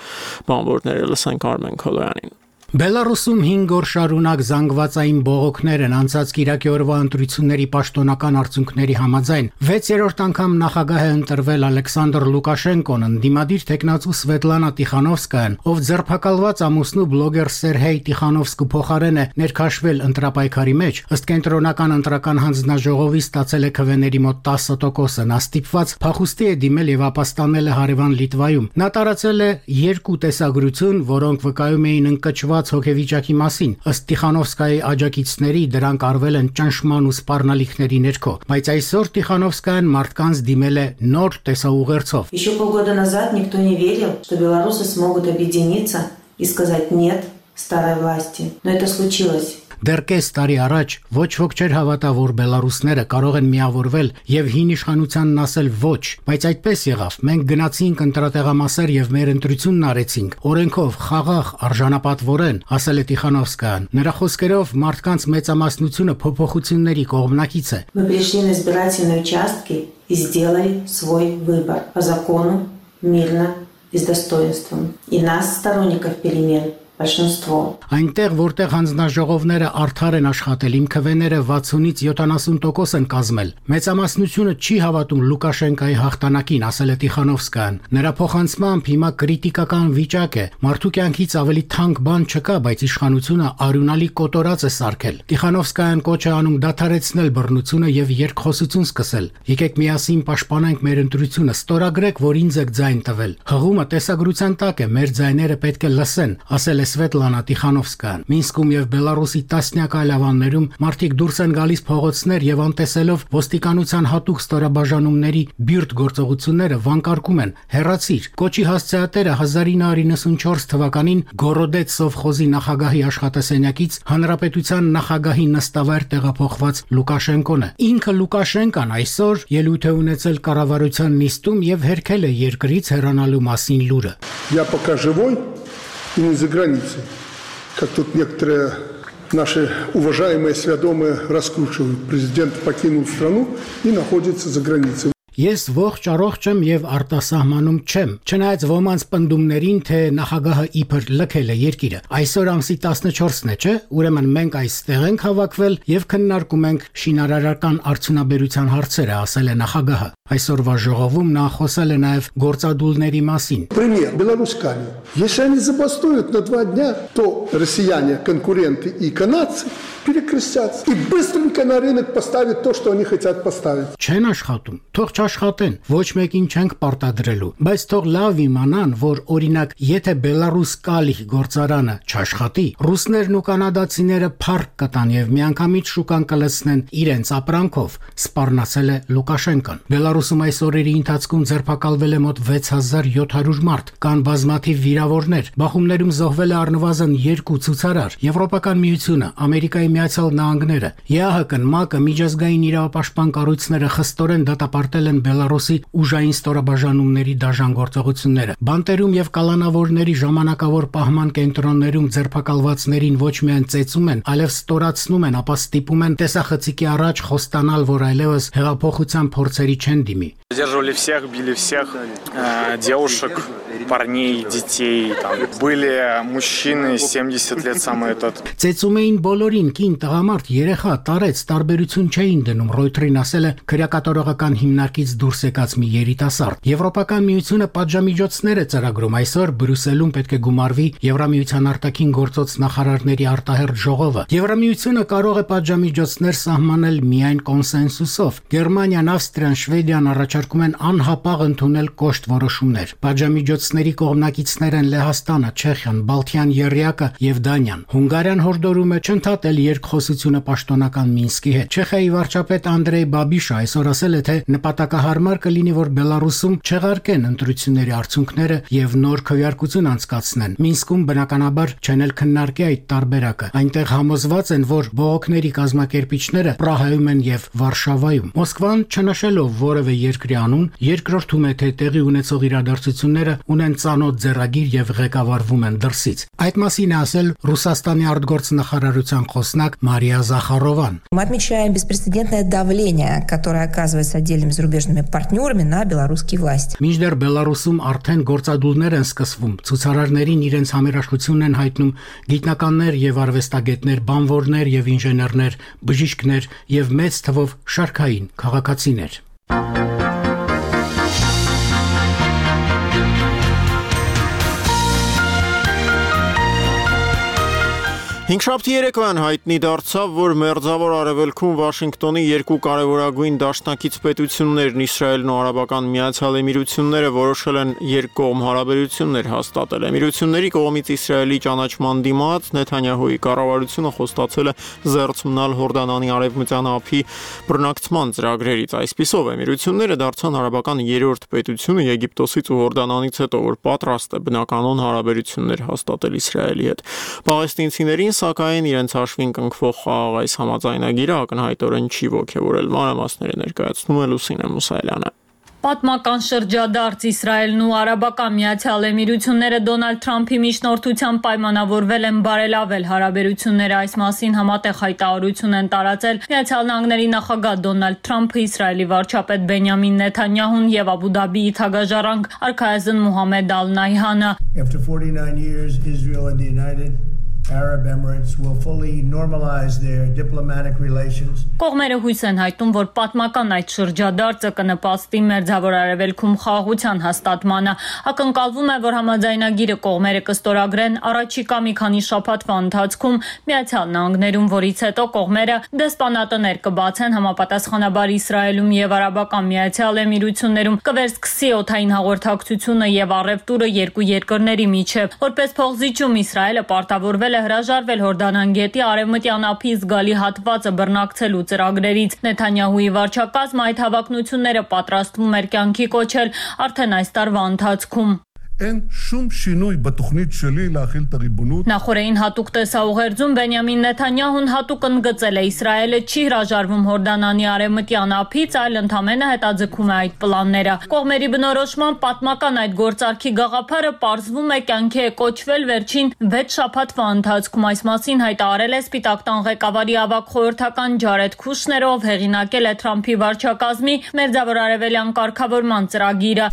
բանվորներ։ Լսենք Արմեն Քոլոյանին։ Բելարուսում 5 օր շարունակ զանգվածային բողոքներ են անցած կիրակի օրվա ընտրությունների պաշտոնական արդյունքների համաձայն 6-րդ անգամ նախագահ է ընտրվել Ալեքսանդր Լուկաշենկոն, ընդդիմադիր տեխնացու Սվետլանա Տիխանովսկայան, ով ձերբակալված ամուսնու բլոգեր Սերհեյ Տիխանովսկու փոխարեն է ներքաշվել ընտրապայքարի մեջ, ըստ կենտրոնական ընտրական հանձնաժողովի ստացել է քվեների մոտ 10%-ը, նա ստիպված փախուստի է դիմել եւ ապաստանել է հարևան Լիտվայում։ Նա տարածել է 2 տեսագրություն, որոնք վկայում էին ընկճված հոգեվիճակի մասին, ըստ Տիխանովսկայի աջակիցների դրանք արվել են ճնշման ու սպառնալիքների ներքո, բայց այսօր Տիխանովսկայան մարդկանց դիմել է նոր տեսաուղերձով։ Еще полгода назад никто не верил, что белорусы смогут объединиться и сказать «нет» старой власти, но это случилось. Դեռ կես տարի առաջ ոչ ոք չէր հավատա, որ բելարուսները կարող են միավորվել եւ հին իշխանությանն ասել ոչ, բայց այդպես եղավ։ Մենք գնացինք ընտրատեղամասեր եւ մեր ընտրությունն արեցինք, օրենքով, խաղաղ, արժանապատվորեն, ասել է Տիխանովսկայան։ Նրա խոսքերով մարդկանց մեծամասնությունը փոփոխությունների կողմնակից է։ Мы пришли на избирательные участки и сделали свой выбор по закону, мирно и с достоинством. И нас, сторонников перемен, большинство. Այնտեղ, որտեղ հանձնաժողովները արդար են աշխատել, իմ քվեները 60-ից 70% են կազմել։ Մեծամասնությունը չի հավատում Լուկաշենկայի հաղթանակին, ասել է Տիխանովսկայան։ Նրա փոխանցմամբ հիմա քրիտիկական վիճակ է։ Մարդու կյանքից ավելի թանկ բան չկա, բայց իշխանությունը արյունալի կոտորած է սարքել։ Տիխանովսկայան կոչ է անում դադարեցնել բռնությունը եւ երկխոսություն սկսել։ Եկեք միասին պաշտպանենք մեր ընտրությունը, ստորագրեք, որ ինձ եք ձայն տվել։ Հղումը տեսագրության տակ է, մեր ձայները պետք է լսեն, ասել է Սվետլանա Տիխանովսկայան։ Մինսկում եւ Բելարուսի տասնյակ այլ ավաններում մարդիկ դուրս են գալիս փողոցներ եւ անտեսելով ոստիկանության հատուկ ստորաբաժանումների բիրտ գործողությունները վանկարկում են. հեռացիր։ Կոչի հասցեատերը 1994 թվականին Գորոդեց սովխոզի նախագահի աշխատասենյակից հանրապետության նախագահի նստավայր տեղափոխված Լուկաշենկոն է։ Ինքը Լուկաշենկան այսօր ելույթ է ունեցել կառավարության նիստում եւ հերքել է երկրից հեռանալու մասին լուրը։ Я пока живой и не за границей, как тут некоторые наши уважаемые свядомые раскручивают. Президент покинул страну и находится за границей. Ես ողջ առողջ եմ եւ արտասահմանում չեմ։ Չնայած ոմանց պնդումներին, թե նախագահը իբր լքել է երկիրը։ Այսօր ամսի 14-ն է, չէ՞։ Ուրեմն մենք այստեղ ենք հավաքվել եւ քննարկում ենք շինարարական արդյունաբերության հարցերը, ասել է նախագահը։ Այսօրվա ժողովում նա խոսել է նաեւ գործադուլների մասին։ Пример. Беларусь-Калий. Если они забастуют на 2 дня, то россияне, конкуренты и канадцы перекрестятся и быстренько на рынок поставят то, что они хотят поставить. Չեն աշխատում, թող չաշխատեն, ոչ մեկին չենք պարտադրելու, բայց թող լավ իմանան, որ օրինակ, եթե Բելարուս-Կալի գործարանը չաշխատի, ռուսներն ու կանադացիները փառք կտան եւ միանգամից շուկան կլցնեն իրենց ապրանքով, սպառնացել է Լուկաշենկան։ Բելարուսում այս օրերի ընթացքում ձերբակալվել է մոտ 6700 մարդ, կան բազմաթիվ վիրավորներ, բախումներում զոհվել է առնվազն 2 ցուցարար։ Եվրոպական միությունը, Ամերիկայի Միացյալ Նահանգները, ԵԱՀԿ-ն, ՄԱԿ-ը, միջազգային իրավապաշտպան կառույցները խստորեն դատապարտել են Բելարուսի ուժային ստորաբաժանումների դաժան գործողությունները։ Բանտերում եւ կալանավորների ժամանակավոր պահման կենտրոններում ձերբակալվածներին ոչ միայն ծեծում են, այլև ստորացնում են, ապա ստիպում են տեսախցիկի առաջ խոստանալ, որ այլևս հեղափոխության փորձերի չեն դիմի։ Задерживали всех, били всех, девушек, парней, детей. Там были мужчины 70 лет самый этот. Ծեծում էին բոլորին, կին, տղամարդ, երեխա, տարեց, տարբերություն չէին դնում, Ռոյթերին ասել է քրեակատարողական հիմնարկից դուրս եկած մի երիտասարդ։ Եվրոպական միությունը պատժամիջոցներ է ծրագրում, այսօր Բրյուսելում պետք է գումարվի Եվրամիության արտաքին գործոց նախարարների արտահերթ ժողովը։ Եվրամիությունը կարող է պատժամիջոցներ սահմանել միայն կոնսենսուսով։ Գերմանիան, Ավստրիան, Շվեդիան առաջարկում են անհապաղ ընդունել կոշտ որոշումներ։ Պատժամիջոցների կողմնակիցներ են Լեհաստանը, Չեխիան, Բալթյան եռյակը եւ Դանիան։ Հունգարիան հորդորում է չընդհատել երկխոսությունը պաշտոնական Մինսկի հետ։ Չեխիայի վարչապետ Անդրեյ Բաբիշը այսօր ասել է, թե նպատակահարմար կլինի, որ Բելարուսում չեղարկեն ընտրությունների արդյունքները եւ նոր քվեարկություն անցկացնեն։ Մինսկում բնականաբար չեն էլ քննարկի այդ տարբերակը։ Այնտեղ համոզված են, որ բողոքների կազմակերպիչները Պրահայում են եւ Վարշավայում։ Մոսկվան չնշելով որևէ երկրի անուն, երկրորդում է, թե տեղի ունեցող իրադարձությունները ունեն ծանոթ ձեռագիր եւ ղեկավարվում են դրսից։ Այդ մասին է ասել Ռուսաստանի արտգործնախարարության խոսնակ Մարիա Զախարովան։ Мы отмечаем беспрецедентное давление, которое оказывается отдельными зарубежными партнерами на белорусские власти. Մինչդեռ Բելարուսում արդեն գործադուլներ են սկսվում, ցուցարարներին իրենց համերաշխությունն են հայտնում գիտնականներ եւ արվեստագետներ, բանվորներ եւ ինժեներներ, բժիշկներ եւ մեծ թվով շարքային քաղաքացիներ։ Հինգշաբթի երեկվան հայտնի դարձավ, որ Մերձավոր Արևելքում Վաշինգտոնի երկու կարևորագույն դաշնակից պետություններն Իսրայելն ու Արաբական Միացյալ Էմիրությունները որոշել են երկկողմ հարաբերություններ հաստատել։ Էմիրությունների կողմից Իսրայելի ճանաչման դիմաց Նեթանյահուի կառավարությունը խոստացել է զերծ մնալ Հորդանանի արևմտյան ափի բռնակցման ծրագրերից։ Այսպիսով Էմիրությունները դարձան արաբական երրորդ պետությունը Եգիպտոսից ու Հորդանանից հետո, որ պատրաստ է բնականոն հարաբերություններ հաստատել Իսրայելի հետ։ Պաղեստինցիներին սակայն իրենց հաշվին կնքվող խաղաղ այս համաձայնագիրը ակնհայտորեն չի ոգևորել։ Մանրամասները ներկայացնում է Լուսինե Մուսայելյանը։ Պատմական շրջադարձ Իսրայելն ու Արաբական Միացյալ Էմիրությունները Դոնալդ Թրամփի միջնորդությամբ պայմանավորվել են բարելավել հարաբերությունները, այս մասին համատեղ հայտարարություն են տարածել Միացյալ Նահանգների նախագահ Դոնալդ Թրամփը, Իսրայելի վարչապետ Բենյամին Նեթանյահուն եւ Աբու Դաբիի թագաժառանգ արքայազն Մուհամմեդ Ալ-Նահյանը։ After 49 years, Israel and the United Arab Emirates will fully normalize their diplomatic relations. Կողմերը հույս են հայտնում, որ պատմական այդ շրջադարձը կնպաստի Մերձավոր Արևելքում խաղաղության հաստատմանը։ Ակնկալվում է, որ համաձայնագիրը կողմերը կստորագրեն առաջիկա մի քանի շաբաթվա ընթացքում Միացյալ Նահանգներում, որից հետո կողմերը դեսպանատներ կբացեն համապատասխանաբար Իսրայելում եւ Արաբական Միացյալ Էմիրություններում, կվերսկսի օդային հաղորդակցությունը եւ առևտուրը երկու երկրների միջեւ։ Որպես փոխզիջում Իսրայելը պարտավորվել է հրաժարվել Հորդանան գետի արևմտյան ափի զգալի հատվածը բռնակցելու ծրագրերից։ Նեթանյահուի վարչակազմը այդ հավակնությունները պատրաստվում էր կյանքի կոչել արդեն այս տարվա ընթացքում։ אין שום שינוי בתוכנית שלי להחיל את הריבונות. Նախորդին հատուկ տեսաուղերձում Բենյամին Նեթանյահուն հատուկ ընդգծել է Իսրայելը չի հրաժարվում Հորդանանի արևմտյան ափից, այլ ընդամենը հետաձգում է այդ պլանները։ Կողմերի բնորոշման պատմական այդ գործարքի գաղափարը պարզվում է կյանքի է կոչվել վերջին 6 շաբաթվա ընթացքում, այս մասին հայտարարել է Սպիտակ տան ղեկավարի ավագ խորհրդական Ջարեդ Քուշները, ով հեղինակել է Թրամփի վարչակազմի Մերձավոր Արևելյան կարգավորման ծրագիրը։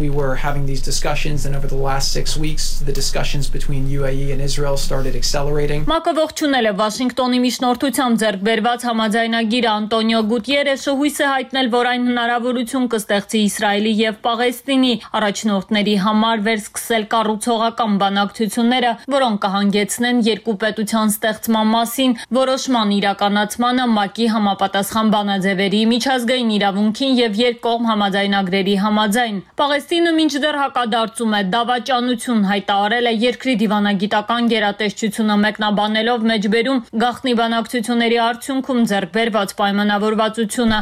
We were having these discussions and over the last 6 weeks the discussions between UAE and Israel started accelerating. Մակը ողջունել է Վաշինգտոնի միջնորդությամբ ձեռք բերված համաձայնագիրը Անտոնիո Գուտիերեշը հույս է հայտնել, որ այն հնարավորություն կստեղծի Իսրայելի եւ Պաղեստինի առաջնորդների համար վերսկսել կառուցողական բանակցությունները, որոնք կհանգեցնեն երկու պետության ստեղծման մասին որոշման իրականացմանը, ՄԱԿ-ի համապատասխան բանաձևերի, միջազգային իրավունքին եւ երկկողմ համաձայնագրերի համաձայն։ Պաղեստինը մինչդեռ հակադարձում է, դավաճանություն հայտարարել է երկրի դիվանագիտական գերատեսչությունը մեկնաբանելով մեջբերում գաղտնի բանակցությունների արդյունքում ձեռք բերված պայմանավորվածությունը։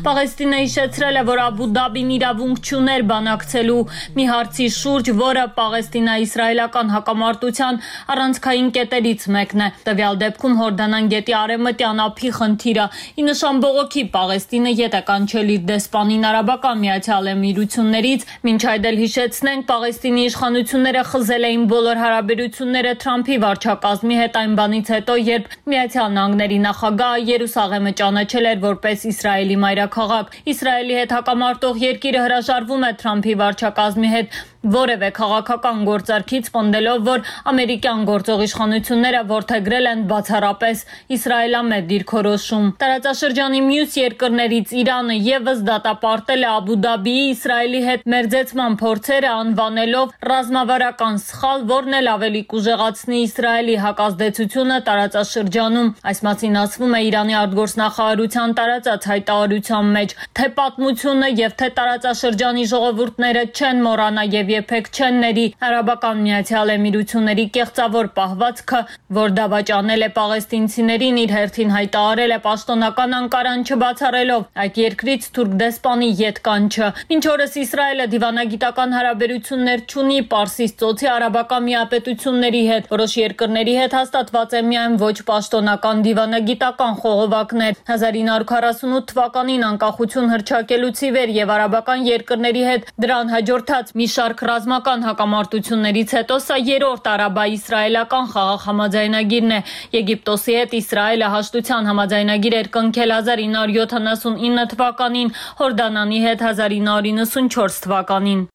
Պաղեստինը հիշեցրել է, որ Աբու Դաբին իրավունք չուներ բանակցելու մի հարցի շուրջ, որը Պաղեստինա-իսրայելական հակամարտության առանցքային կետերից մեկն է։ Տվյալ դեպքում Հորդանան գետի արևմտյան ափի խնդիրը ի նշան բողոքի Պաղեստինը ետ է կանչել իր դեսպանին Արաբական Միացյալ Էմիրություններից, մինչ այդ էլ հիշեցնենք Պաղեստինի իշխանությունները խզել էին բոլոր հարաբերությունները Թրամփի վարչակազմի հետ այն բանից հետո, երբ Միացյալ Նահանգների նախագահը Երուսաղեմը ճանաչել էր որպես Իսրայելի մայրաքաղաք։ Իսրայելի հետ հակամարտող երկիրը հրաժարվում է Թրամփի վարչակազմի հետ որևէ քաղաքական գործարքից, պնդելով, որ ամերիկյան գործող իշխանությունները որդեգրել են բացառապես իսրայելամետ դիրքորոշում։ Տարածաշրջանի մյուս երկրներից Իրանը եւս դատապարտել է Աբու Դաբիի Իսրայելի հետ մերձեցման փորձերը, անվանելով ռազմավարական սխալ, որն էլ ավելի կուժեղացնի Իսրայելի հակազդեցությունը տարածաշրջանում։ Այս մասին ասվում է Իրանի արտգործնախարարության տարածած հայտարարության մեջ, թե պատմությունը եւ թե տարածաշրջանի ժողովուրդները չեն մոռանա եւ երբեք չեն ների Արաբական Միացյալ Էմիրությունների կեղծավոր պահվածքը, որ դավաճանել է պաղեստինցիներին, իր հերթին հայտարարել է պաշտոնական Անկարան չբացառելով այդ երկրից թուրք դեսպանի ետկանչը։ Մինչ օրս Իսրայելը դիվանագիտական հարաբերություններ չունի Պարսից ծոցի արաբական միապետությունների հետ, որոշ երկրների հետ հաստատված է միայն ոչ պաշտոնական դիվանագիտական խողովակներ։ 1948 թվականին անկախություն հռչակելուց ի վեր եւ արաբական երկրների հետ դրան հաջորդած մի շարք ռազմական հակամարտություններից հետո սա երրորդ արաբա-իսրայելական խաղաղ համաձայնագիրն է։ Եգիպտոսի հետ Իսրայելը հաշտության համաձայնագիր էր կնքել 1979 թվականին, Հորդանանի հետ 1994 թվականին։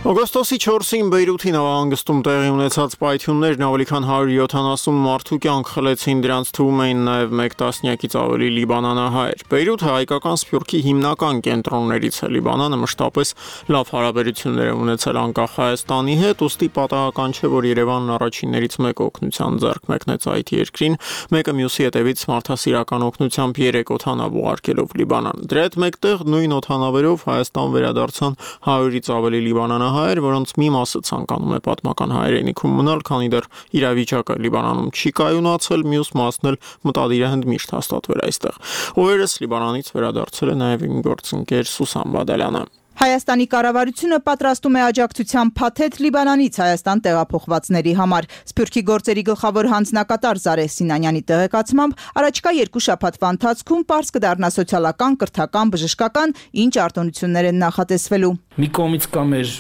Օգոստոսի 4-ին Բեյրութի նավահանգստում տեղի ունեցած պայթյուններն ավելի քան 170 մարդու կյանք խլեցին, դրանց թվում էին նաև 1 տասնյակից ավելի լիբանանահայեր։ Բեյրութը հայկական սփյուռքի հիմնական կենտրոններից է։ Լիբանանը մշտապես լավ հարաբերություններ է ունեցել անկախ Հայաստանի հետ, ուստի պատահական չէ, որ Երևանն առաջիններից մեկ օգնության ձեռք մեկնեց այդ երկրին, մեկը մյուսի հետևից մարդասիրական օգնությամբ 3 օդանավ ուղարկելով Լիբանան։ Դրա հետ մեկտեղ նույն օդանավերով Հայաստան վերադարձան 100-ից ավելի լիբանանահայեր, լիբանանահայեր, որոնց մի մասը ցանկանում է պատմական հայրենիքում մնալ, քանի դեռ իրավիճակը Լիբանանում չի կայունացել, մյուս մասն էլ մտադիր է հնդմիշտ հաստատվել այստեղ։ Օրերս Լիբանանից վերադարձել է նաև իմ գործընկեր Սուսան Բադալյանը։ Հայաստանի կառավարությունը պատրաստում է աջակցության փաթեթ Լիբանանից Հայաստան տեղափոխվածների համար։ Սփյուռքի գործերի գլխավոր հանձնակատար Զարե Սինանյանի տեղեկացմամբ առաջիկա 2 շաբաթվա ընթացքում պարզ կդառնա սոցիալական, կրթական, բժշկական ինչ արտոնություններ են նախատեսվելու։ Մի կողմից կա մեր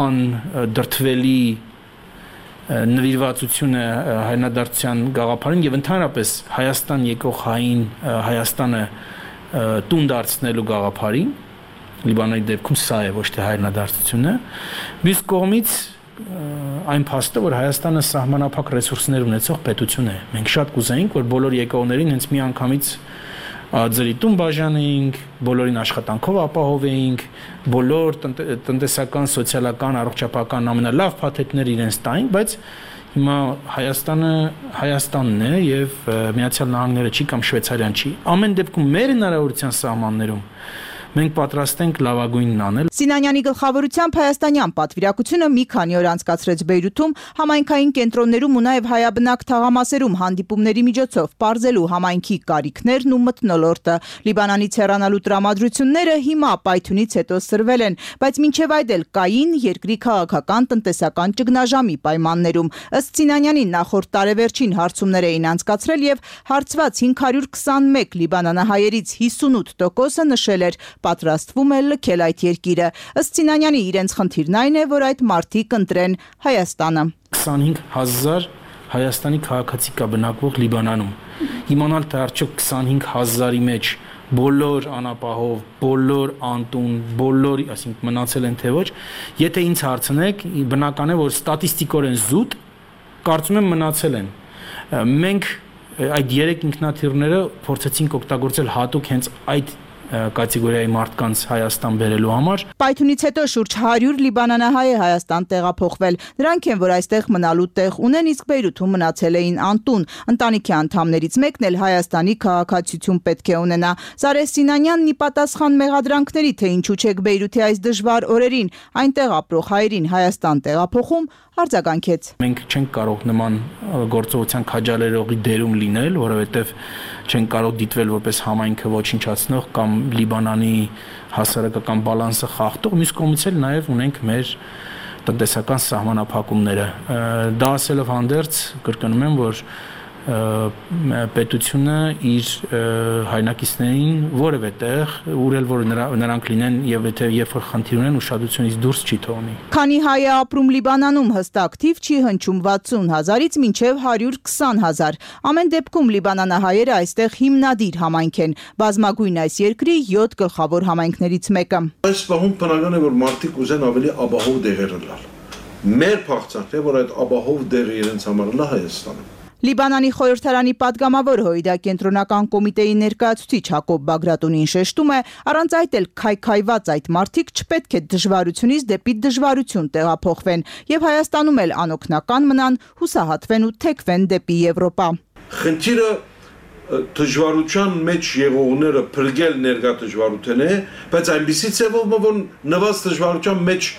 անդրդվելի նվիրվածությունը հայրենադարձության գաղափարին եւ ընդհանրապես Հայաստան եկող հային Հայաստանը տուն դարձնելու գաղափարին Լիբանանի դեպքում սա է ոչ թե հայրենադարձությունը։ Մյուս կողմից այն փաստը, որ Հայաստանը սահմանափակ ռեսուրսներ ունեցող պետություն է։ Մենք շատ կուզեինք, որ բոլոր եկողներին հենց մի անգամից ձերի տուն բաժանեինք, բոլորին աշխատանքով ապահովեինք, բոլոր տնտեսական, սոցիալական, առողջապահական ամենալավ փաթեթները իրենց տային, բայց հիմա Հայաստանը Հայաստանն է եւ Միացյալ Նահանգները չի կամ Շվեյցարիան չի։ Ամեն դեպքում մեր հնարավորության սահմաններում մենք պատրաստ ենք լավագույնն անել։ Սինանյանի գլխավորությամբ հայաստանյան պատվիրակությունը մի քանի օր անցկացրեց Բեյրութում, համայնքային կենտրոններում ու նաև հայաբնակ թաղամասերում հանդիպումների միջոցով պարզելու համայնքի կարիքներն ու մթնոլորտը։ Լիբանանից հեռանալու տրամադրությունները հիմա պայթյունից հետո սրվել են, բայց մինչև այդ էլ կային երկրի քաղաքական տնտեսական ճգնաժամի պայմաններում։ Ըստ Սինանյանի նախորդ տարեվերջին հարցումներ էին անցկացրել եւ հարցված 521 լիբանանահայերից 58%-ը նշել էր պատրաստվում է լքել այդ երկիրը։ Ըստ Սինանյանի իրենց խնդիրն այն է, որ այդ մարդիկ ընտրեն Հայաստանը։ 25000 Հայաստանի քաղաքացի կա բնակվող Լիբանանում։ Իմանալ թե արդյոք 25000-ի մեջ բոլոր անապահով, բոլոր անտուն, բոլոր, այսինքն մնացել են թե ոչ, եթե ինձ հարցնեք, բնական է, որ ստատիստիկորեն զուտ կարծում եմ մնացել են։ Մենք այդ 3 ինքնաթիռները փորձեցինք օգտագործել հատուկ հենց այդ կատեգորիայի մարդկանց Հայաստան բերելու համար։ Պայթյունից հետո շուրջ 100 լիբանանահայ է Հայաստան տեղափոխվել։ Նրանք են, որ այստեղ մնալու տեղ ունեն, իսկ Բեյրութում մնացել էին անտուն։ Ընտանիքի անդամներից մեկն էլ Հայաստանի քաղաքացիություն պետք է ունենա։ Զարե Սինանյանն ի պատասխան մեղադրանքների, թե ինչու չեք Բեյրութի այս դժվար օրերին այնտեղ ապրող հայերին Հայաստան տեղափոխում, արձագանքեց։ Մենք չենք կարող նման գործողության քաջալերողի դերում լինել, որովհետև չենք կարող դիտվել որպես համայնքը ոչնչացնող կամ Լիբանանի հասարակական բալանսը խախտող, մյուս կողմից էլ նաև ունենք մեր տնտեսական սահմանափակումները։ Դա ասելով հանդերձ կրկնում եմ, որ պետությունը իր հայրենակիցներին որևէ տեղ, ուրել որ նրանք լինեն եւ եթե երբ որ խնդիր ունեն ուշադրությունից դուրս չի թողնի։ Քանի հայ է ապրում Լիբանանում, հստակ թիվ չի հնչում 60000-ից մինչև 120000։ Ամեն դեպքում լիբանանահայերը այստեղ հիմնադիր համայնք են, բազմագույն այս երկրի 7 գլխավոր համայնքներից մեկը։ Այս պահում բնական է, որ մարդիկ ուզեն ավելի ապահով դեղեր լալ։ Մեր փախցանքն է, որ այդ ապահով դեղը իրենց համար լա Հայաստանում։ Լիբանանի խորհրդարանի падգամավոր Հույդա կենտրոնական կոմիտեի ներկայացուցիչ Հակոբ Բագրատունին շեշտում է, առանց այդ էլ քայքայված այդ մարդիկ չպետք է դժվարությունից դեպի դժվարություն տեղափոխվեն եւ Հայաստանում էլ անօգնական մնան, հուսահատվեն ու թեքվեն դեպի Եվրոպա։ Խնդիրը դժվարության մեջ եղողները փրկել ներկա դժվարություն է, բայց այնպիսի ձևով որ նվազ դժվարության մեջ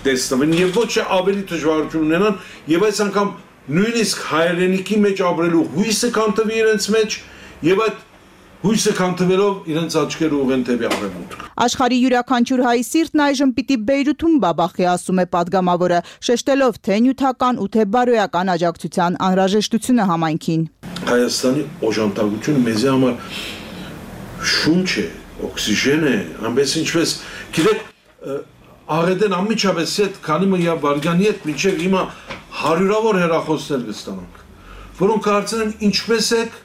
տեսնվեն եւ ոչ ավելի դժվարություն ունենան եւ այս անգամ նույնիսկ հայրենիքի մեջ ապրելու հույսը կանտվի իրենց մեջ եւ այդ հույսը կանտվելով իրենց աչքերը ուղեն դեպի արևմուտք։ Աշխարհի յուրաքանչյուր հայ սիրտն այժմ պիտի Բեյրութում բաբախի, ասում է падգամավորը, շեշտելով թե նյութական ու թե բարոյական աջակցության անհրաժեշտությունը համայնքին։ Հայաստանի օժանդակությունը մեզ համար շունչ է, օքսիգեն է, այնպես ինչպես գիտեք աղետեն ամիջապես այդ քանի մյա վարգանի հետ մինչև հիմա հարյուրավոր հեռախոսներ կստանանք, որոնք հարցնեն ինչպես եք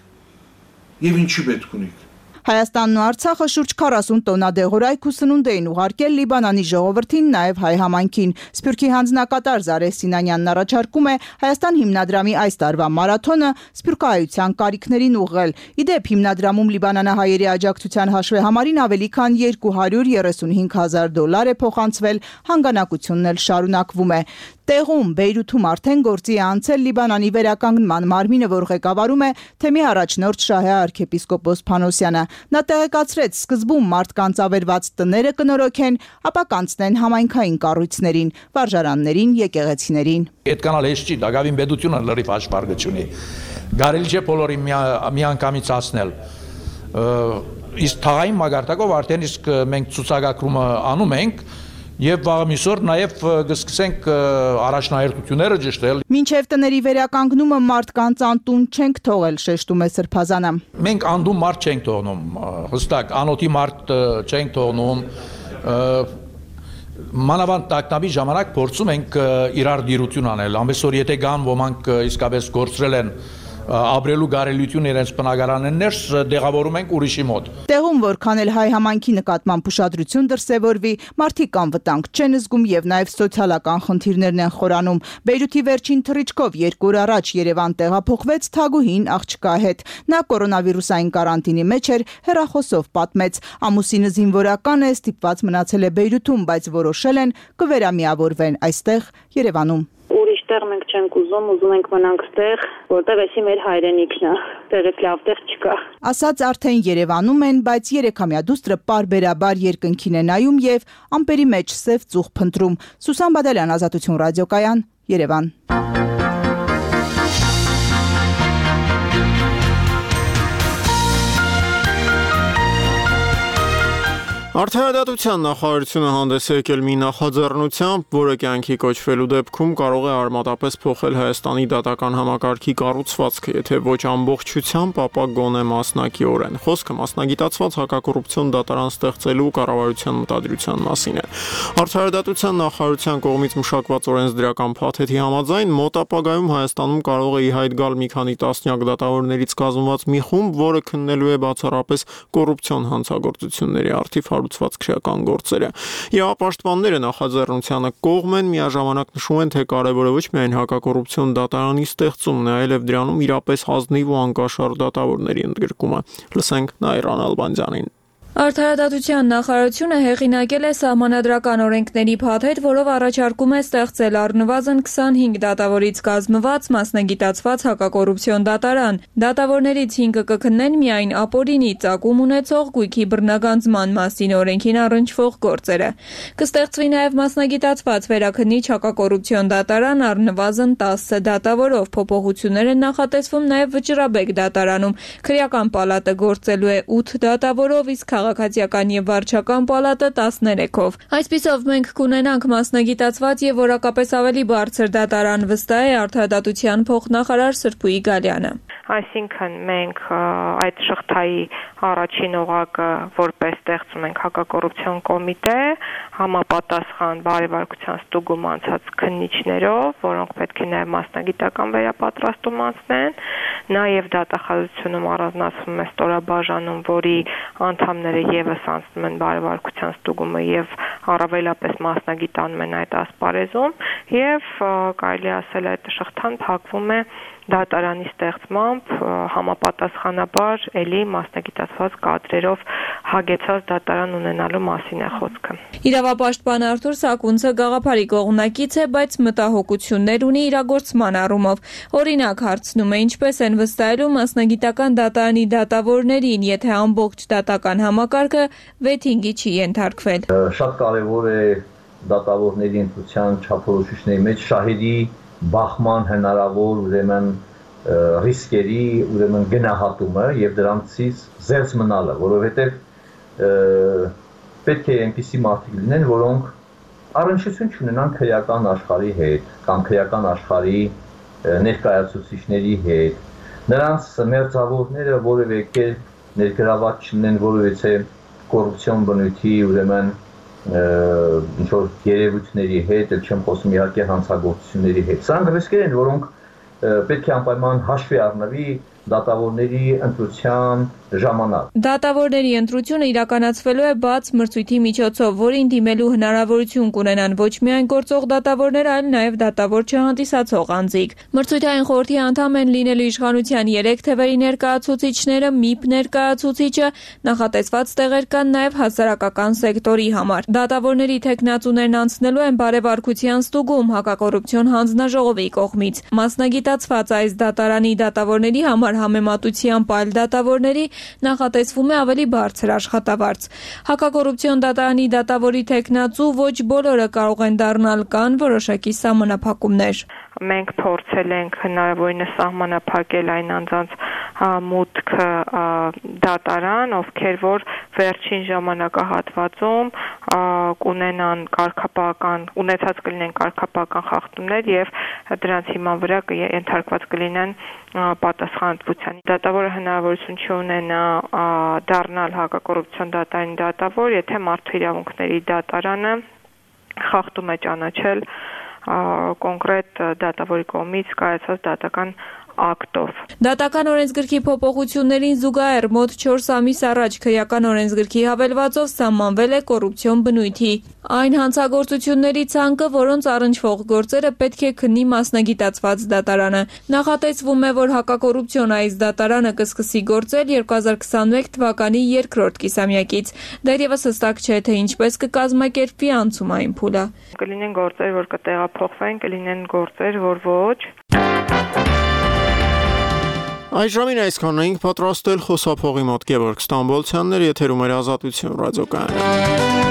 եւ ինչի պետք ունիք։ Հայաստանն ու Արցախը շուրջ 40 տոննա դեղորայք ու սնունդ էին ուղարկել Լիբանանի ժողովրդին, նաև հայ համայնքին։ Սփյուռքի հանձնակատար Զարե Սինանյանն առաջարկում է Հայաստան հիմնադրամի այս տարվա մարաթոնը սփյուռքահայության կարիքներին ուղղել։ Իդեպ հիմնադրամում լիբանանահայերի աջակցության հաշվեհամարին ավելի քան $235,000 է փոխանցվել, հանգանակությունն էլ շարունակվում է։ Տեղում Բեյրութում արդեն գործի է անցել Լիբանանի վերականգնման մարմինը, որ ղեկավարում է թեմի առաջնորդ Շահե arczepiskopos Փանոսյանը։ Նա տեղեկացրեց, սկզբում մարդկանց ավերված տները կնորոգեն, ապա կանցնեն համայնքային կառույցներին, վարժարաններին, եկեղեցիներին։ Այդքան էլ չի, դակավին պետությունը լրիվ հաշվարկությունի։ Գարելի չէ բոլորին միանգամից ասնել։ Իսկ թաղային մագարտակով արդեն իսկ մենք ցուցակագրումը անում ենք եւ վաղ միսօր նաեւ կսկսենք առաջնահերթությունները ճշտել։ Մինչև տների վերականգնումը մարդկանց անտուն չենք թողել, շեշտում է Սրբազանը։ Մենք անդուն մարդ չենք թողնում, հստակ անոթի մարդ չենք թողնում։ Մանավանդ տակնավի ժամանակ փորձում ենք իրար դիրություն անել, ամենսօր եթե կան ոմանք իսկապես գործրել են ապրելու գարելություն իրենց բնակարանեն ներս դեղավորում ենք ուրիշի մոտ։ Տեղում որքան էլ հայ համայնքի նկատմամբ ուշադրություն դրսևորվի, մարդիկ անվտանգ չեն զգում եւ նաեւ սոցիալական խնդիրներն են խորանում։ Բեյրութի վերջին թռիչքով 2 օր առաջ Երևան տեղափոխվեց Թագուհին աղջկա հետ։ Նա կորոնավիրուսային կարանտինի մեջ էր, հեռախոսով պատմեց. ամուսինը զինվորական է, ստիպված մնացել է Բեյրութում, բայց որոշել են կվերամիավորվեն այստեղ Երևանում։ Ուրիշ տեղ մենք չենք ուզում ենք մնանք ստեղ, որտեղ էսի մեր հայրենիքն է, տեղից լավ տեղ չկա։ Ասած արդեն Երևանում են, բայց 3-ամյա դուստրը պարբերաբար երկնքին է նայում եւ ամպերի մեջ սև ծուխ փնտրում։ Սուսան Բադալյան, Ազատություն ռադիոկայան, Երևան։ Արդարադատության նախարարությունը հանդես է եկել մի նախաձեռնությամբ, որը կյանքի կոչվելու դեպքում կարող է արմատապես փոխել Հայաստանի դատական համակարգի կառուցվածքը, եթե ոչ ամբողջությամբ, ապա գոնե մասնակիորեն։ Խոսքը մասնագիտացված հակակոռուպցիոն դատարան ստեղծելու կառավարության մտադրության մասին է։ Արդարադատության նախարարության կողմից մշակված օրենսդրական փաթեթի համաձայն մոտ ապագայում Հայաստանում կարող է ի հայտ գալ մի քանի տասնյակ դատավորներից կազմված մի խումբ, որը քննելու է բացառապես կոռուպցիոն հանցագործությունների առթիվ հարուցված քրեական գործերը։ Իրավապաշտպանները նախաձեռնությանը կողմ են, միաժամանակ նշում են, թե կարևորը ոչ միայն հակակոռուպցիոն դատարանի ստեղծումն է, այլև դրանում իրապես ազնիվ ու անկաշառ դատավորների ընդգրկումը։ Լսենք Նայրան Ալբանդյանին։ Արդարադատության նախարարությունը հեղինակել է սահմանադրական օրենքների փաթեթ, որով առաջարկում է ստեղծել առնվազն 25 դատավորից կազմված մասնագիտացված հակակոռուպցիոն դատարան։ Դատավորներից 5-ը կքննեն միայն ապօրինի ծագում ունեցող գույքի բռնագանձման մասին օրենքին առնչվող գործերը։ Կստեղծվի նաև մասնագիտացված վերաքննիչ հակակոռուպցիոն դատարան առնվազն 10 դատավորով։ Փոփոխություններ են նախատեսվում նաև Վճռաբեկ դատարանում։ Քրեական պալատը գործելու է 8 դատավորով, իսկ քաղաքացիական եւ վարչական պալատը 13-ով։ Այսպիսով մենք կունենանք մասնագիտացված եւ որակապես ավելի բարձր դատարան, վստահ է արդարադատության փոխնախարար Սրփուի Գալյանը։ Այսինքն մենք այդ շղթայի առաջին օղակը որպես ստեղծում ենք հակակոռուպցիոն կոմիտե, համապատասխան բարեվարկության ստուգում անցած քննիչներով, որոնք պետք է նաև մասնագիտական վերապատրաստում անցնեն, նաև դատախազությունում առանձնացվում է ստորաբաժանում, որի անդամները եւս անցնում են բարեվարկության ստուգումը եւ առավելապես մասնագիտանում են այդ ասպարեզում եւ կարելի ասել այդ շղթան փակվում է դատարանի ստեղծմամբ համապատասխանաբար էլի մասնագիտացված կադրերով հագեցած դատարան ունենալու մասին է խոսքը։ Իրավապաշտպան Արթուր Սակունցը գաղափարի կողմնակից է, բայց մտահոգություններ ունի իրագործման առումով։ Օրինակ հարցնում է, ինչպես են վստահելու մասնագիտական դատարանի դատավորներին, եթե ամբողջ դատական համակարգը վեթինգի չի ենթարկվել։ Շատ կարևոր է դատավորների ընտրության չափորոշիչների մեջ շահերի բախման հնարավոր ուրեմն ռիսկերի ուրեմն գնահատումը եւ դրանցից զերծ մնալը, որովհետեւ պետք է այնպիսի մարդիկ լինեն, որոնք առնչություն չունենան քրեական աշխարհի հետ կամ քրեական աշխարհի ներկայացուցիչների հետ։ Նրանց մերձավորները որևէ կերպ ներգրաված չլինեն որևէ կոռուպցիոն բնույթի ուրեմն ինչ որ երևույթների հետ, չեմ խոսում իհարկե հանցագործությունների հետ։ Սրանք ռիսկեր են, որոնք պետք է անպայման հաշվի առնվի դատավորների ընտրության ժամանակ։ Դատավորների ընտրությունը իրականացվելու է բաց մրցույթի միջոցով, որին դիմելու հնարավորություն կունենան ոչ միայն գործող դատավորներ, այլ նաև դատավոր չհանդիսացող անձիկ։ Մրցույթային խորհրդի անդամ են լինելու իշխանության 3 թևերի ներկայացուցիչները, ՄԻՊ ներկայացուցիչը, նախատեսված տեղեր կան նաև հասարակական սեկտորի համար։ Դատավորների թեկնածուներն անցնելու են բարեվարկության ստուգում հակակոռուպցիոն հանձնաժողովի կողմից։ Մասնագիտացված այս դատարանի դատավորների համար համեմատությամբ այլ դատավորների նախատեսվում է ավելի բարձր աշխատավարձ։ Հակակոռուպցիոն դատարանի դատավորի թեկնածու ոչ բոլորը կարող են դառնալ, կան որոշակի սահմանափակումներ։ Մենք փորձել ենք հնարավորինս սահմանափակել այն անձանց մուտքը դատարան, ովքեր որ վերջին ժամանակահատվածում կունենան ունեցած կլինեն կարգապահական խախտումներ եւ դրանց հիման վրա ենթարկված կլինեն պատասխանատվության։ Դատավորը հնարավորություն չունենա դառնալ հակակոռուպցիոն դատարանի դատավոր, եթե մարդու իրավունքների դատարանը խախտում է ճանաչել կոնկրետ դատավորի կողմից կայացած դատական ակտով։ Դատական օրենսգրքի փոփոխություններին զուգահեռ մոտ 4 ամիս առաջ քրեական օրենսգրքի հավելվածով սահմանվել է կոռուպցիոն բնույթի այն հանցագործությունների ցանկը, որոնց առնչվող գործերը պետք է քննի մասնագիտացված դատարանը։ Նախատեսվում է, որ հակակոռուպցիոն այս դատարանը կսկսի գործել 2021 թվականի երկրորդ կիսամյակից։ Դեռևս հստակ չէ, թե ինչպես կկազմակերպվի անցումային փուլը։ Կլինեն գործեր, որ կտեղափոխվեն, կլինեն գործեր, որ ոչ։ Այժմին այսքանն էինք պատրաստել խոսափողի մոտ Գևորգ Ստամբոլցյաններ, եթերում էր Ազատություն ռադիոկայանը։